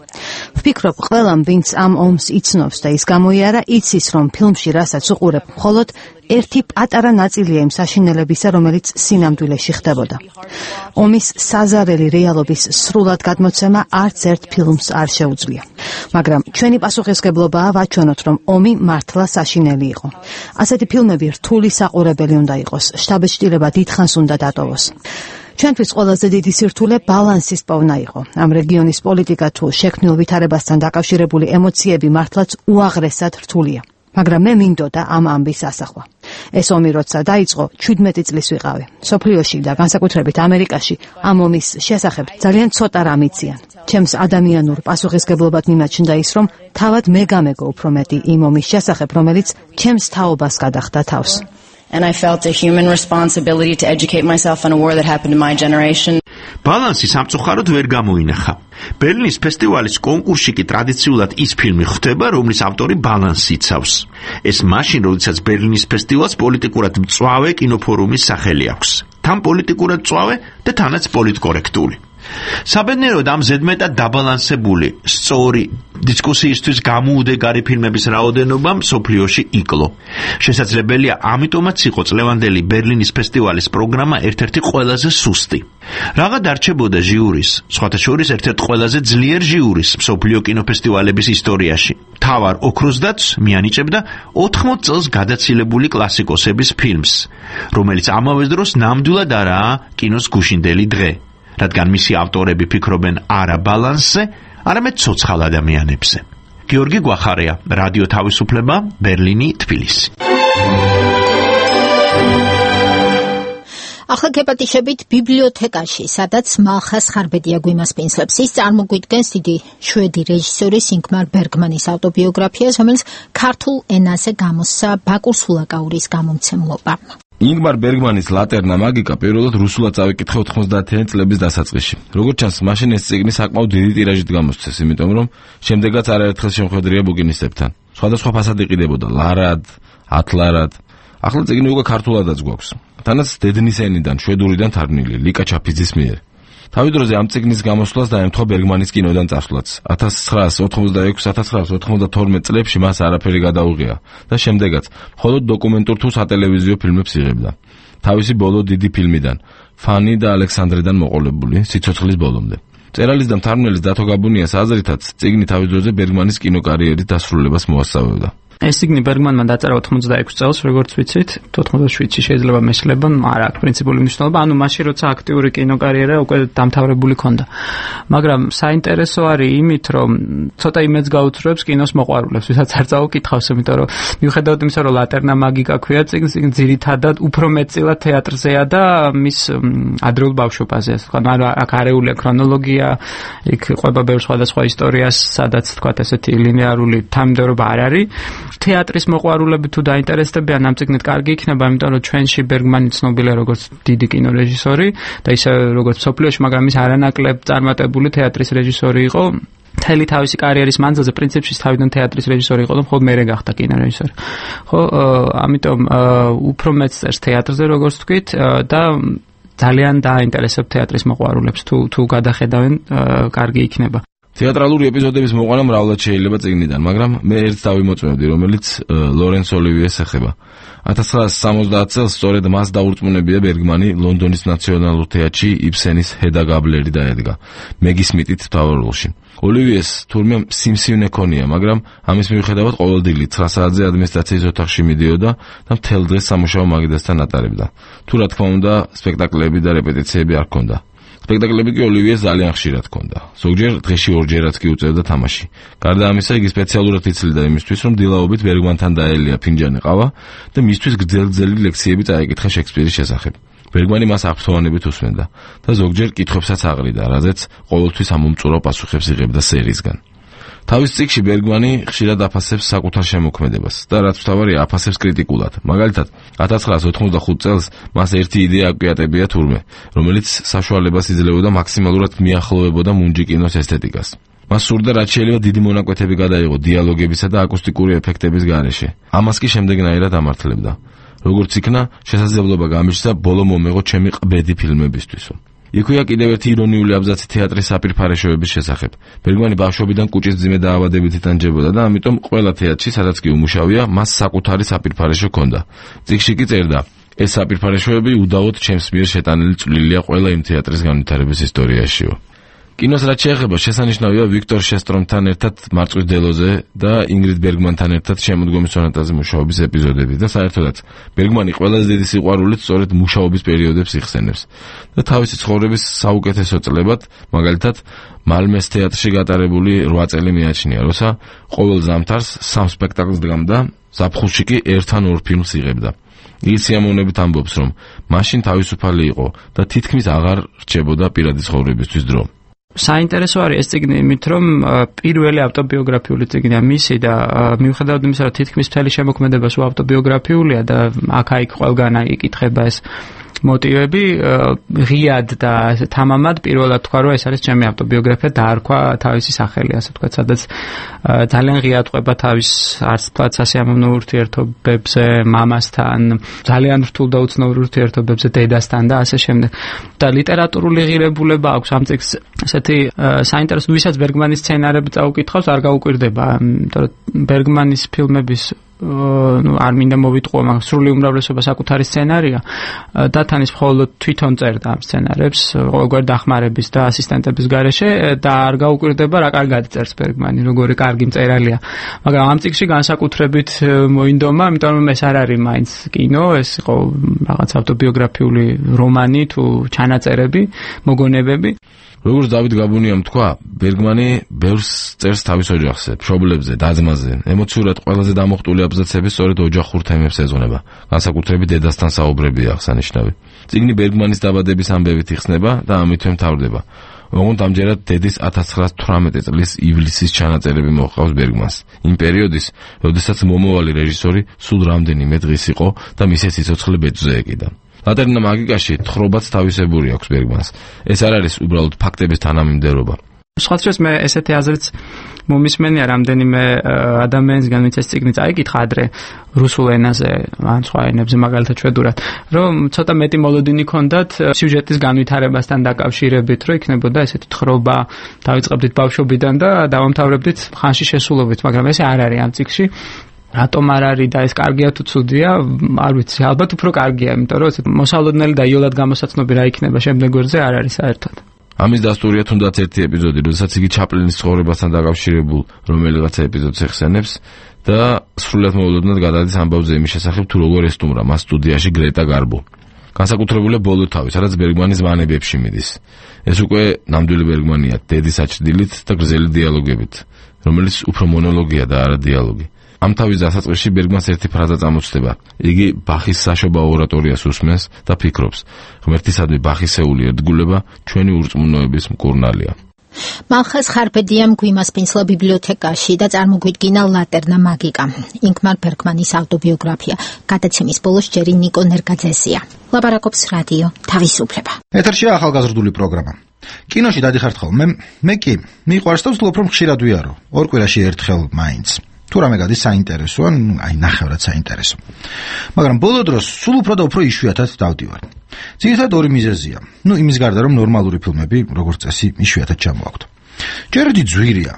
ვფიქრობ, ყველამ, ვინც ამ ომს იცნობს და ის გამოიარა, იცის, რომ ფილმში რასაც უყურებ, მხოლოდ ერთი პატარა ნაწილია იმ საშინელებისა, რომელიც სინამდვილეში ხდებოდა. ომის საზარელი რეალობის სრულად გადმოცემა არც ერთ ფილმს არ შეუძლია. მაგრამ ჩვენი პასუხისმგებლობაა ვაჩვენოთ, რომ ომი მართლა საშინელი იყო. ასეთი ფილმები რთული საყურებელი უნდა იყოს, შთაბეჭდილება დიდხანს უნდა დატოვოს. ჩვენთვის ყველაზე დიდი სირთულე ბალანსის პოვნა იყო. ამ რეგიონის პოლიტიკა თუ შექმნილ ვითარებასთან დაკავშირებული ემოციები მართლაც უაღრესად რთულია. მაგრამ მე მინდოდა ამ ამბის ასახვა. ეს ომი როცა დაიწყო, 17 წლის ვიყავი. სოფლიოში და განსაკუთრებით ამერიკაში ამ ომის შესახებ ძალიან ცოტა რამ იციან. ჩემს ადამიანურ პასუხისმგებლობად მიმაჩნდა ის, რომ თავად მე გამეგო უფრო მეტი იმ ომის შესახებ, რომელიც ჩემს თაობას გადახდა თავს. And I felt a human responsibility to educate myself on a war that happened in my generation. ბალანსი სამწუხაროდ ვერ გამოინახა. ბერლინის ფესტივალის კონკურსში კი ტრადიციულად ის ფილმი ხვდება, რომლის ავტორი ბალანსს იცავს. ეს მაშინ, როდესაც ბერლინის ფესტივალს პოლიტიკურად მწვავე კინოფორუმის სახელი აქვს. თან პოლიტიკურად მწვავე და თანაც პოლიტკორექტული. საბედნიეროდ ამ ზედმეტად დაბალანსებული, სწორი დისკუსიისთვის გამოუდეგარი ფილმების რაოდენობა მსოფლიოში იკლო. შესაძლებელია, ამიტომაც იყო წლევანდელი ბერლინის ფესტივალის პროგრამა ერთ-ერთი ყველაზე სუსტი. Რაღაც არჩებოდა ჟიურის, სხვათა შორის ერთ-ერთ ყველაზე ძლიერ ჟიურის მსოფლიო კინოფესტივალების ისტორიაში. თავარ ოქროს დათვს მიანიჭებდა 80 წელს გადაცილებული კლასიკოსების ფილმს, რომელიც ამავე დროს ნამდვილად არაა კინოს გუშინდელი დღე. რადგან მისი ავტორები ფიქრობენ არა ბალანსზე, არამედ ცოცხალ ადამიანებზე. გიორგი გვახარია, რადიო თავისუფლება, ბერლინი, თბილისი. ახლა გეპატიშებით ბიბლიოთეკაში, სადაც მალხას ხარბედია გვიმასპინძლებს. ის წარმოგვიდგენს დიდი შვედი რეჟისორის ინგმარ ბერგმანის ავტობიოგრაფიას, რომელიც ქართულ ენაზე გამოსცა ბაკურ სულაკაურის გამომცემლობა. ინგმარ ბერგმანის ლატერნა მაგიკა პირველად რუსულად წავიკითხე 90-იანი წლების დასაწყისში. როგორც ჩანს, მაშინ ეს წიგნი საკმაოდ დიდი ტირაჟით გამოსცეს, იმიტომ რომ შემდეგაც არაერთხელ შემოხვედრია ბუგინისტებთან. სხვადასხვა ფასად იყიდებოდა ლარად, ათლარად. ახლა წიგნი უკვე ქართულადაც გვაქვს. თანაც დედნის ენიდან, შვედურიდან თარგმნილი ლიკა ჩაფიძის მიერ. თავი დროზე ამ წიგნის გამოსვლას დაემთხვა ბერგმანის კინოდან წასვლაც. 1986-1992 წლებში მას არაფერი გადაუღია და შემდეგაც მხოლოდ დოკუმენტურ თუ სატელევიზიო ფილმებს იღებდა. თავისი ბოლო დიდი ფილმიდან, ფანი და ალექსანდრიდან მოყოლებული, სიცოცხლის ბოლომდე. მწერალის და მთარგმნელის დათო გაბუნიას აზრითაც, წიგნი თავის დროზე ბერგმანის კინოკარიერის დასრულებას მოასწავებდა. ეს წიგნი ბერგმანმა დაწერა 86 წელს, როგორც ვიცით, 87-ში შეიძლება მესლება, არა აქვს პრინციპული მნიშვნელობა, ანუ მაშინ როცა აქტიური კინოკარიერა უკვე დამთავრებული ქონდა. მაგრამ საინტერესო არის იმით, რომ ცოტა იმედს გაუცრუებს კინოს მოყვარულებს, ვისაც არ წაუკითხავს, იმიტომ რომ მიუხედავად იმისა, რომ ლატერნა მაგიკა ქვია წიგნს, ძირითადად უფრო მეტწილად თეატრზეა და მის ადრეულ ბავშვობაზე. ანუ აქ არეულია ქრონოლოგია, იქ ყვება ბევრ სხვადასხვა ისტორიას, სადაც თქვათ ესეთი ლინეარული თანმიმდევრობა არ არის. თეატრის მოყვარულები თუ დაინტერესდებიან ამ წიგნით კარგი იქნება, იმიტომ რომ ჩვენში ბერგმანი ცნობილია როგორც დიდი კინორეჟისორი და ისე როგორც მსოფლიოში, მაგრამ ის არანაკლებ წარმატებული თეატრის რეჟისორი იყო. მთელი თავისი კარიერის მანძილზე პრინციპში თავიდან თეატრის რეჟისორი იყო და მხოლოდ მერე გახდა კინორეჟისორი. ხო, ამიტომ უფრო მეც წერს თეატრზე, როგორც თქვით, და ძალიან დაინტერესებს თეატრის მოყვარულებს, თუ გადახედავენ, კარგი იქნება. თეატრალური ეპიზოდების მოყვანა მრავლად შეიძლება წიგნიდან, მაგრამ მე ერთს დავიმოწმევდი, რომელიც ლორენს ოლივიეს ეხება. 1970 წელს სწორედ მას დაურწმუნებია ბერგმანი ლონდონის ნაციონალურ თეატრში იბსენის ჰედა გაბლერი დაედგა, მეგი სმიტით მთავარ როლში. ოლივიეს თურმე სიმსივნე ქონია, მაგრამ ამის მიუხედავად ყოველდღიურად 9 საათზე ადმინისტრაციის ოთახში მიდიოდა და მთელ დღეს სამუშაო მაგიდასთან ატარებდა. თუ რა თქმა უნდა, სპექტაკლები და რეპეტიციები არ ჰქონდა. სპექტაკლები კი ოლივიეს ძალიან ხშირად ჰქონდა. ზოგჯერ დღეში ორჯერაც კი უწევდა თამაში. გარდა ამისა, იგი სპეციალურად იცლიდა იმისთვის, რომ დილაობით ბერგმანთან დაელია ფინჯანი ყავა და მისთვის გრძელი ლექციები წაეკითხა შექსპირის შესახებ. ბერგმანი მას აფსოვანებით უსმენდა და ზოგჯერ კითხვებსაც აყრიდა, რაზეც ყოველთვის ამომწურო პასუხებს იღებდა სერიისგან. თავის წიგნში ბერგმანი ხშირად აფასებს საკუთარ შემოქმედებას და რაც მთავარია, აფასებს კრიტიკულად. მაგალითად, 1985 წელს მას ერთი იდეა აკვიატებია თურმე, რომელიც საშუალებას იძლეოდა მაქსიმალურად მიახლოვებოდა მუნჯი კინოს ესთეტიკას. მას სურდა რაც შეიძლება დიდი მონაკვეთები გადაიღო დიალოგებისა და აკუსტიკური ეფექტების გარეშე. ამას კი შემდეგნაირად ამართლებდა. როგორც იქნა, შესაძლებლობა გამიჩნდა ბოლო მომეღო ჩემი ყბედი ფილმებისთვის. იქვეა კიდევ ერთი ირონიული აბზაცი თეატრის საპირფარეშოების შესახებ. ბერგმანი ბავშვობიდან კუჭის მძიმე დაავადებით იტანჯებოდა და ამიტომ ყველა თეატრში, სადაც კი უმუშავია, მას საკუთარი საპირფარეშო ჰქონდა. წიგნში კი წერდა: ეს საპირფარეშოები უდავოდ ჩემს მიერ შეტანილი წვლილია ყველა იმ თეატრის განვითარების ისტორიაშიო. კინოს რაც შეეხება, შესანიშნავია ვიქტორ შესტრომთან ერთად მარწყვის დელოზე და ინგრიდ ბერგმანთან ერთად შემოდგომის სონატაზე მუშაობის ეპიზოდები და საერთოდაც ბერგმანი ყველაზე დიდი სიყვარულით სწორედ მუშაობის პერიოდებს იხსენებს და თავისი ცხოვრების საუკეთესო წლებად, მაგალითად, მალმეს თეატრში გატარებული 8 წელი მიაჩნია, როცა ყოველ ზამთარს 3 სპექტაკლს დგამდა, ზაფხულში კი 1 ან 2 ფილმს იღებდა. ის სიამოვნებით ამბობს, რომ მაშინ თავისუფალი იყო და თითქმის აღარ რჩებოდა პირადი ცხოვრებისთვის დრო. საინტერესო არის ეს წიგნი იმით, რომ პირველი ავტობიოგრაფიული წიგნია მისი და მიუხედავად იმისა, რომ თითქმის მთელი შემოქმედება სულ ავტობიოგრაფიულია და აქ-იქ ყველგან იკითხება ეს მოტივები, ღიად და თამამად პირველად თქვა, რომ ეს არის ჩემი ავტობიოგრაფია, დაარქვა თავისი სახელი, ასე ვთქვათ, სადაც ძალიან ღიად ყვება თავის არც თქვათ სასიამოვნო ურთიერთობებზე მამასთან, ძალიან რთულ და უცნაურ ურთიერთობებზე დედასთან და ასე შემდეგ. და ლიტერატურული ღირებულება აქვს ამ წიგნს, ესეთი საინტერესო, ვისაც ბერგმანის სცენარები წაუკითხავს, არ გაუკვირდება, იმიტომ რომ ბერგმანის ფილმების არ მინდა მოვიტყუო, მაგრამ სრული უმრავლესობა საკუთარი სცენარია და თანის მხოლოდ თვითონ წერდა ამ სცენარებს ყოველგვარ დახმარების და ასისტენტების გარეშე და არ გაუკვირდება რა კარგად წერს ბერგმანი, როგორი კარგი მწერალია. მაგრამ ამ წიგნში განსაკუთრებით მოინდომა, იმიტომ რომ ეს არ არის მაინც კინო, ეს იყო რაღაც ავტობიოგრაფიული რომანი თუ ჩანაწერები, მოგონებები. როგორც დავით გაბუნიამ თქვა, ბერგმანი ბევრს წერს თავის ოჯახზე, მშობლებზე, და-ძმაზე. ემოციურად ყველაზე დამოხტული აბზაცები სწორედ ოჯახურ თემებს ეძღვნება. განსაკუთრებით დედასთან საუბრებია აღსანიშნავი. წიგნი ბერგმანის დაბადების ამბებით იხსნება და ამითვე მთავრდება. ოღონდ ამჯერად დედის 1918 წლის ივლისის ჩანაწერები მოჰყავს ბერგმანს. იმ პერიოდის, როდესაც მომავალი რეჟისორი სულ რამდენიმე დღის იყო და მისე სიცოცხლე ბეჭდზე ეკიდა. ლატერნა მაგიკაში თხრობაც თავისებური აქვს ბერგმანს. ეს არ არის უბრალოდ ფაქტების თანამიმდევრობა. სხვადასხვა მე ესეთი აზრიც მომისმენია რამდენიმე ადამიანისგან, ვინც ეს წიგნი წაიკითხა ადრე რუსულ ენაზე, ან სხვა ენებზე მაგალითად შვედურად, რომ ცოტა მეტი მოლოდინი ქონდათ სიუჟეტის განვითარებასთან დაკავშირებით, რომ იქნებოდა ესეთი თხრობა, დავიწყებდით ბავშვობიდან და დავამთავრებდით ხანში შესულობით, მაგრამ ესე არ არის ამ წიგნში. რატომ არ არის და ეს კარგია თუ ცუდია, არ ვიცი, ალბათ უფრო კარგია, იმიტომ რომ ესეთ მოსალოდნელი და იოლად გამოსაცნობი რა იქნება შემდეგ გვერდზე არ არის საერთოდ. ამის დასტურია თუნდაც ერთი ეპიზოდი, როდესაც იგი ჩაპლინის ცხოვრებასთან დაკავშირებულ რომელიღაცა ეპიზოდს ეხსენებს და სრულად მოულოდნელად გადადის ამბავზე იმის შესახებ, თუ როგორ ესტუმრა მას სტუდიაში გრეტა გარბო. განსაკუთრებულია ბოლო თავი, სადაც ბერგმანის ვანებებში მიდის. ეს უკვე ნამდვილი ბერგმანია, დედის აჩრდილით და გრძელი დიალოგებით, რომელიც უფრო მონოლოგია და არა დიალოგი. ამ თავის დასაწყისში ბერგმანს ერთი ფრაზა წამოწდება. იგი ბახის საშობაო ორატორიას უსმენს და ფიქრობს, ღმერთისადმი ბახისეული ერთგულება ჩვენი ურწმუნოების მკურნალია. მალხას ხარბედიამ გვიმასპინსლა ბიბლიოთეკაში და წარმოგვიდგინა ლატერნა მაგიკა. ინგმარ ბერგმანის ავტობიოგრაფია. გადაცემის ბოლოს ჯერი ნიკო ნერგაძესია. ლაპარაკობს რადიო თავისუფლება. ეთერშია ახალგაზრდული პროგრამა. კინოში დადიხართ ხოლმე, მე კი მიყვარს და ვცდილობ რომ ხშირად ვიარო. ორ კვირაში ერთხელ მაინც. თუ რამე გადის საინტერესოა, აი ნახევრად საინტერესო. მაგრამ ბოლო დროს სულ უფრო და უფრო იშვიათად დავდივარ. ძირითადად ორი მიზეზია. იმის გარდა რომ ნორმალური ფილმები, როგორც წესი, იშვიათად ჩამოაქვთ. ჯერდი ძვირია.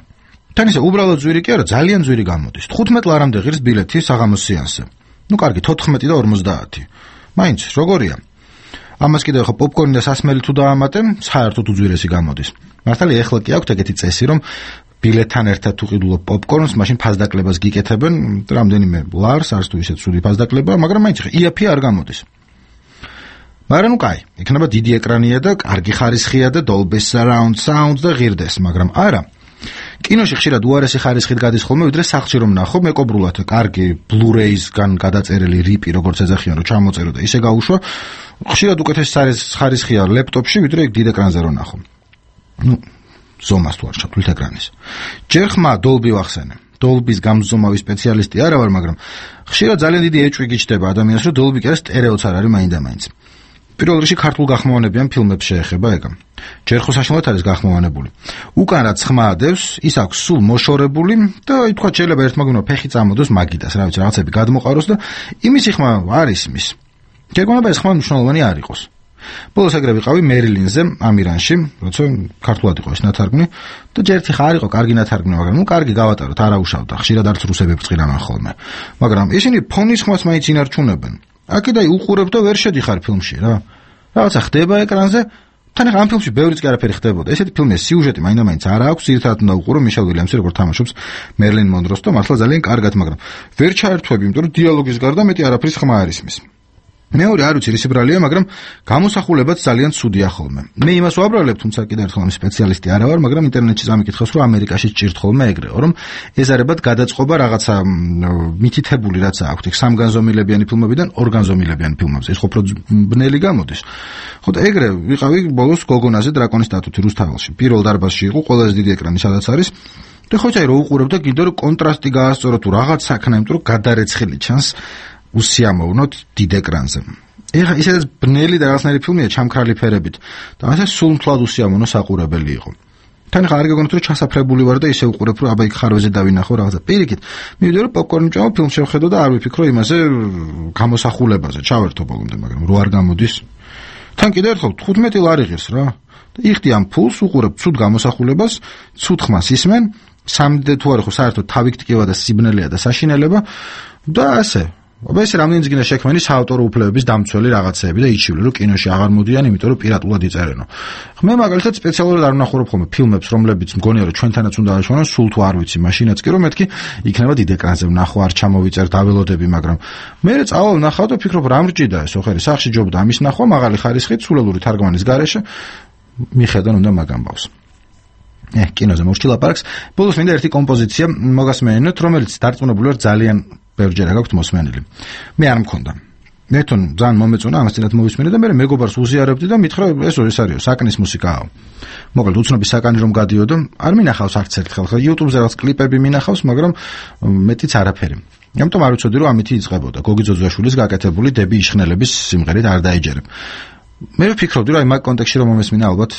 თან ისე უბრალოდ ძვირი კი არა, ძალიან ძვირი გამოდის. 15 ლარამდე ღირს ბილეთი საღამოს სეანსზე. კარგი, 14 და 50. მაინც როგორია? ამას კიდევ ხო პოპკორნი და სასმელი თუ დაამატე, საერთოდ უძვირესი გამოდის. მართალია ეხლა კი აქვს ეგეთი წესი, რომ ბილეთთან ერთად თუ ყიდულობ პოპკორნს, მაშინ ფასდაკლებას გიკეთებენ, რამდენიმე ლარს, არც თუ ისე ცუდი ფასდაკლება, მაგრამ მაინც იაფი არ გამოდის. მაგრამ კაი, იქნება დიდი ეკრანია და კარგი ხარისხია და Dolby Surround Sound და ღირდეს, მაგრამ არა. კინოში ხშირად უარესი ხარისხით გადის ხოლმე, ვიდრე სახლში რომ ნახო, მეკობრულად კარგი Blu-ray-სგან გადაწერილი რიპი, როგორც ეძახიან, რომ ჩამოწერო და ისე გაუშვა, ხშირად უკეთესი ხარისხია ლეპტოპში, ვიდრე დიდ ეკრანზე რომ ნახო. ზომას თუ არ ჩათვლით ეკრანის. ჯერ ხმა Dolby ვახსენე. Dolby-ს გამზომავი სპეციალისტი არა ვარ, მაგრამ ხშირად ძალიან დიდი ეჭვი გიჩნდება ადამიანს, რომ Dolby კი არა სტერეოც არ არის მაინდა-მაინც. პირველ რიგში ქართულ გახმოვანებიან ფილმებს შეეხება ეგა. ჯერ ხო საშინელად არის გახმოვანებული. უკან რაც ხმა ადევს, ის აქვს სულ მოშორებული და ითქვა შეიძლება ერთმაგნო ფეხი წამოდოს მაგიდას, რა ვიცი, რაღაცები გადმოყაროს და იმისი ხმა არ ისმის. გეგონება ეს ხმა მნიშვნელოვანი არ იყოს. ბოლოს ეგრე ვიყავი მერილინზე, ამირანში, როცა ქართულად იყო ეს ნათარგმნი და ჯერ ერთი ხარ იყო კარგი ნათარგმნი, მაგრამ კარგი გავატაროთ, არა უშავდა, ხშირად არც რუსები ბრწყინავენ ხოლმე. მაგრამ ისინი ფონის ხმას მაინც ინარჩუნებენ. აქედაი უყურებ და ვერ შედიხარ ფილმში რა. რაღაცა ხდება ეკრანზე, თან ახლა ამ ფილმში ბევრიც კი არაფერი ხდებოდა. ესეთი ფილმია, სიუჟეტი მაინდა-მაინც არა აქვს, ერთად უნდა უყურო მიშელ ვილიამსი, როგორ თამაშობს მერლინ მონროს და მართლა ძალიან კარგად, მაგრამ ვერ ჩაერთვები, იმიტომ რომ დიალოგის გარდა მეტი არაფრის ხმა არ ისმის. მეორე არ ვიცი რის ბრალია, მაგრამ გამოსახულებაც ძალიან ცუდია ხოლმე. მე იმას ვაბრალებ, თუმცა კიდევ ერთხელ ამ სპეციალისტი არა ვარ, მაგრამ ინტერნეტში წამიკითხავს, რომ ამერიკაში ჭირთ ხოლმე ეგრეო, რომ ეზარებათ გადაწყობა რაღაცა მითითებული რაც აქვთ, იქ სამგანზომილებიანი ფილმებიდან ორგანზომილებიანი ფილმებზე. ეს უფრო ბნელი გამოდის. ხო და ეგრე ვიყავი ბოლოს გოგონაზე დრაკონის სტატუთი რუსთაველში. პირველ დარბაზში იყო ყველაზე დიდი ეკრანი, სადაც არის. და ხო წაი რო უყურებ და კიდევ რომ კონტრასტი გაასწორო თუ რაღაც საქმე, იმიტომ რომ გადარეცხილი ჩანს უსიამოვნოთ დიდ ეკრანზე. ეხლა ისედაც ბნელი და რაღაცნაირი ფილმია ჩამქრალი ფერებით და ასე სულ მთლად უსიამოვნო საყურებელი იყო. თან ხარ გეგონოთ რომ ჩასაფრებული ვარ და ისე უყურებ რომ აბა იქ ხარვეზე დავინახო რაღაცა. პირიქით, მივიდე რომ პოპკორნი მჭამო, ფილმ შევხედო და არ ვიფიქრო იმაზე გამოსახულებაზე. ჩავერთო ბოლომდე, მაგრამ რო არ გამოდის. თან კიდევ ერთხელ 15 ლარი ღირს რა. და იხდი ამ ფულს უყურებ ცუდ გამოსახულებას, ცუდ ხმას ისმენ, სამდე თუ არ ხო საერთოდ თავიქტკივა და სიბნელეა და საშინელება და ასე. აბა ეს რამდენიც გინდა შექმენი საავტორო უფლებების დამცველი რაღაცეები და იჩივლე რომ კინოში აღარ მოდიან, იმიტომ რომ პირატულად იწერენო. მე მაგალითად სპეციალურად არ ვნახავ ხოლმე ფილმებს, რომლებიც მგონია რომ ჩვენთანაც უნდა აღიშვანონ, სულ თუ არ ვიცი, მაშინაც კი რომ მეთქი იქნება დიდ ეკრანზე ვნახო, არ ჩამოვიწერ დაველოდები, მაგრამ მე წავალ ვნახავ და ფიქრობ რა მრჭიდა ეს ოხერი, სახში ჯობდა ამის ნახვა, მაღალი ხარისხით, სულელური თარგმანის გარეშე. მიხედონ უნდა მაგ ამბავს. კინოზე მოვშჩი ლაპარაკს. ბოლოს მინდა ერთი კომპოზიცია მოგასმენინოთ, რომელიც დარწმუნებული ვარ ძალიან ბევრჯერ გაქვთ მოსმენილი. მე არ მქონდა. მე თვითონ ძალიან მომეწონა ამას წინათ მოვისმენე და მე მეგობარს უზიარებდი და მითხრა ეს არისო, საკნის მუსიკაა. მოკლედ უცნობი საკანი რომ გადიოდო, არ მინახავს არც ერთხელ. ხა YouTube-ზე რაღაც კლიპები მინახავს, მაგრამ მეტიც არაფერი. ამიტომ არ ვიცოდი რომ ამითი იწყებოდა. გოგი ძოძუაშვილის გაკეთებული დები იშხნელების სიმღერით არ დაიჯერებ. მე ვფიქრობდი რომ აი მაგ კონტექსტში რომ მომესმინა ალბათ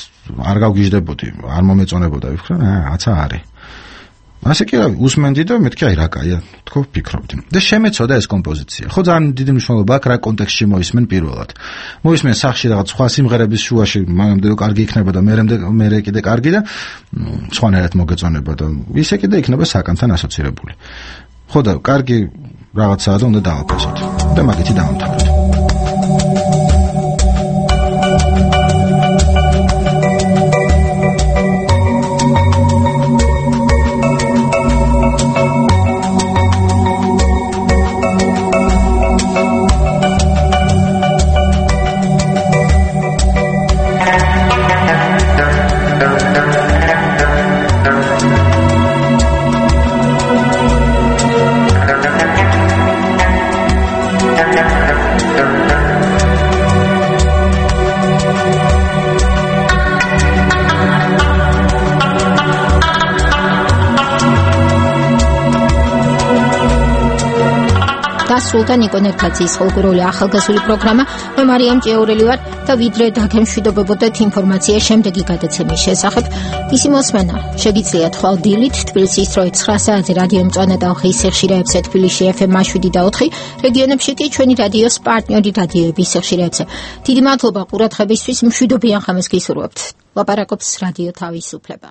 არ გავგიჟდებოდი, არ მომეწონებოდა, ვიფიქრე, რაცა არის. ასე კი უსმენდი და მეთქი აი რა კაია, თქო ვფიქრობდი. და შემეცოდა ეს კომპოზიცია. ხო ძალიან დიდი მნიშვნელობა აქვს რა კონტექსტში მოისმენ პირველად. მოისმენ სახში რაღაც სხვა სიმღერების შუაში, მანამდე რომ კარგი იქნება და მერე კიდე კარგი და სხვანაირად მოგეწონება და ისე კიდე იქნება საკანთან ასოცირებული. ხო და კარგი რაღაცაა და უნდა დავაფასოთ. და მაგითი დავამთავროთ. სულთან ნიკო ნერგაძის ხალხური ახალგაზრდული პროგრამა. მე მარიამ ჭიაურელი ვარ და ვიდრე დაგემშვიდობებოდეთ ინფორმაცია შემდეგი გადაცემის შესახებ. ისი მოსმენა შეგიძლიათ ხვალ დილით თბილისის 9 საათზე რადიო მწვანე და ხის ხშირეებზე თბილისში FM 7 და 4, რეგიონებში კი ჩვენი რადიოს პარტნიორი რადიოების ხშირეებზე. დიდი მადლობა ყურადღებისთვის, მშვიდობიან ხამს გისურვებთ. ლაპარაკობს რადიო თავისუფლება.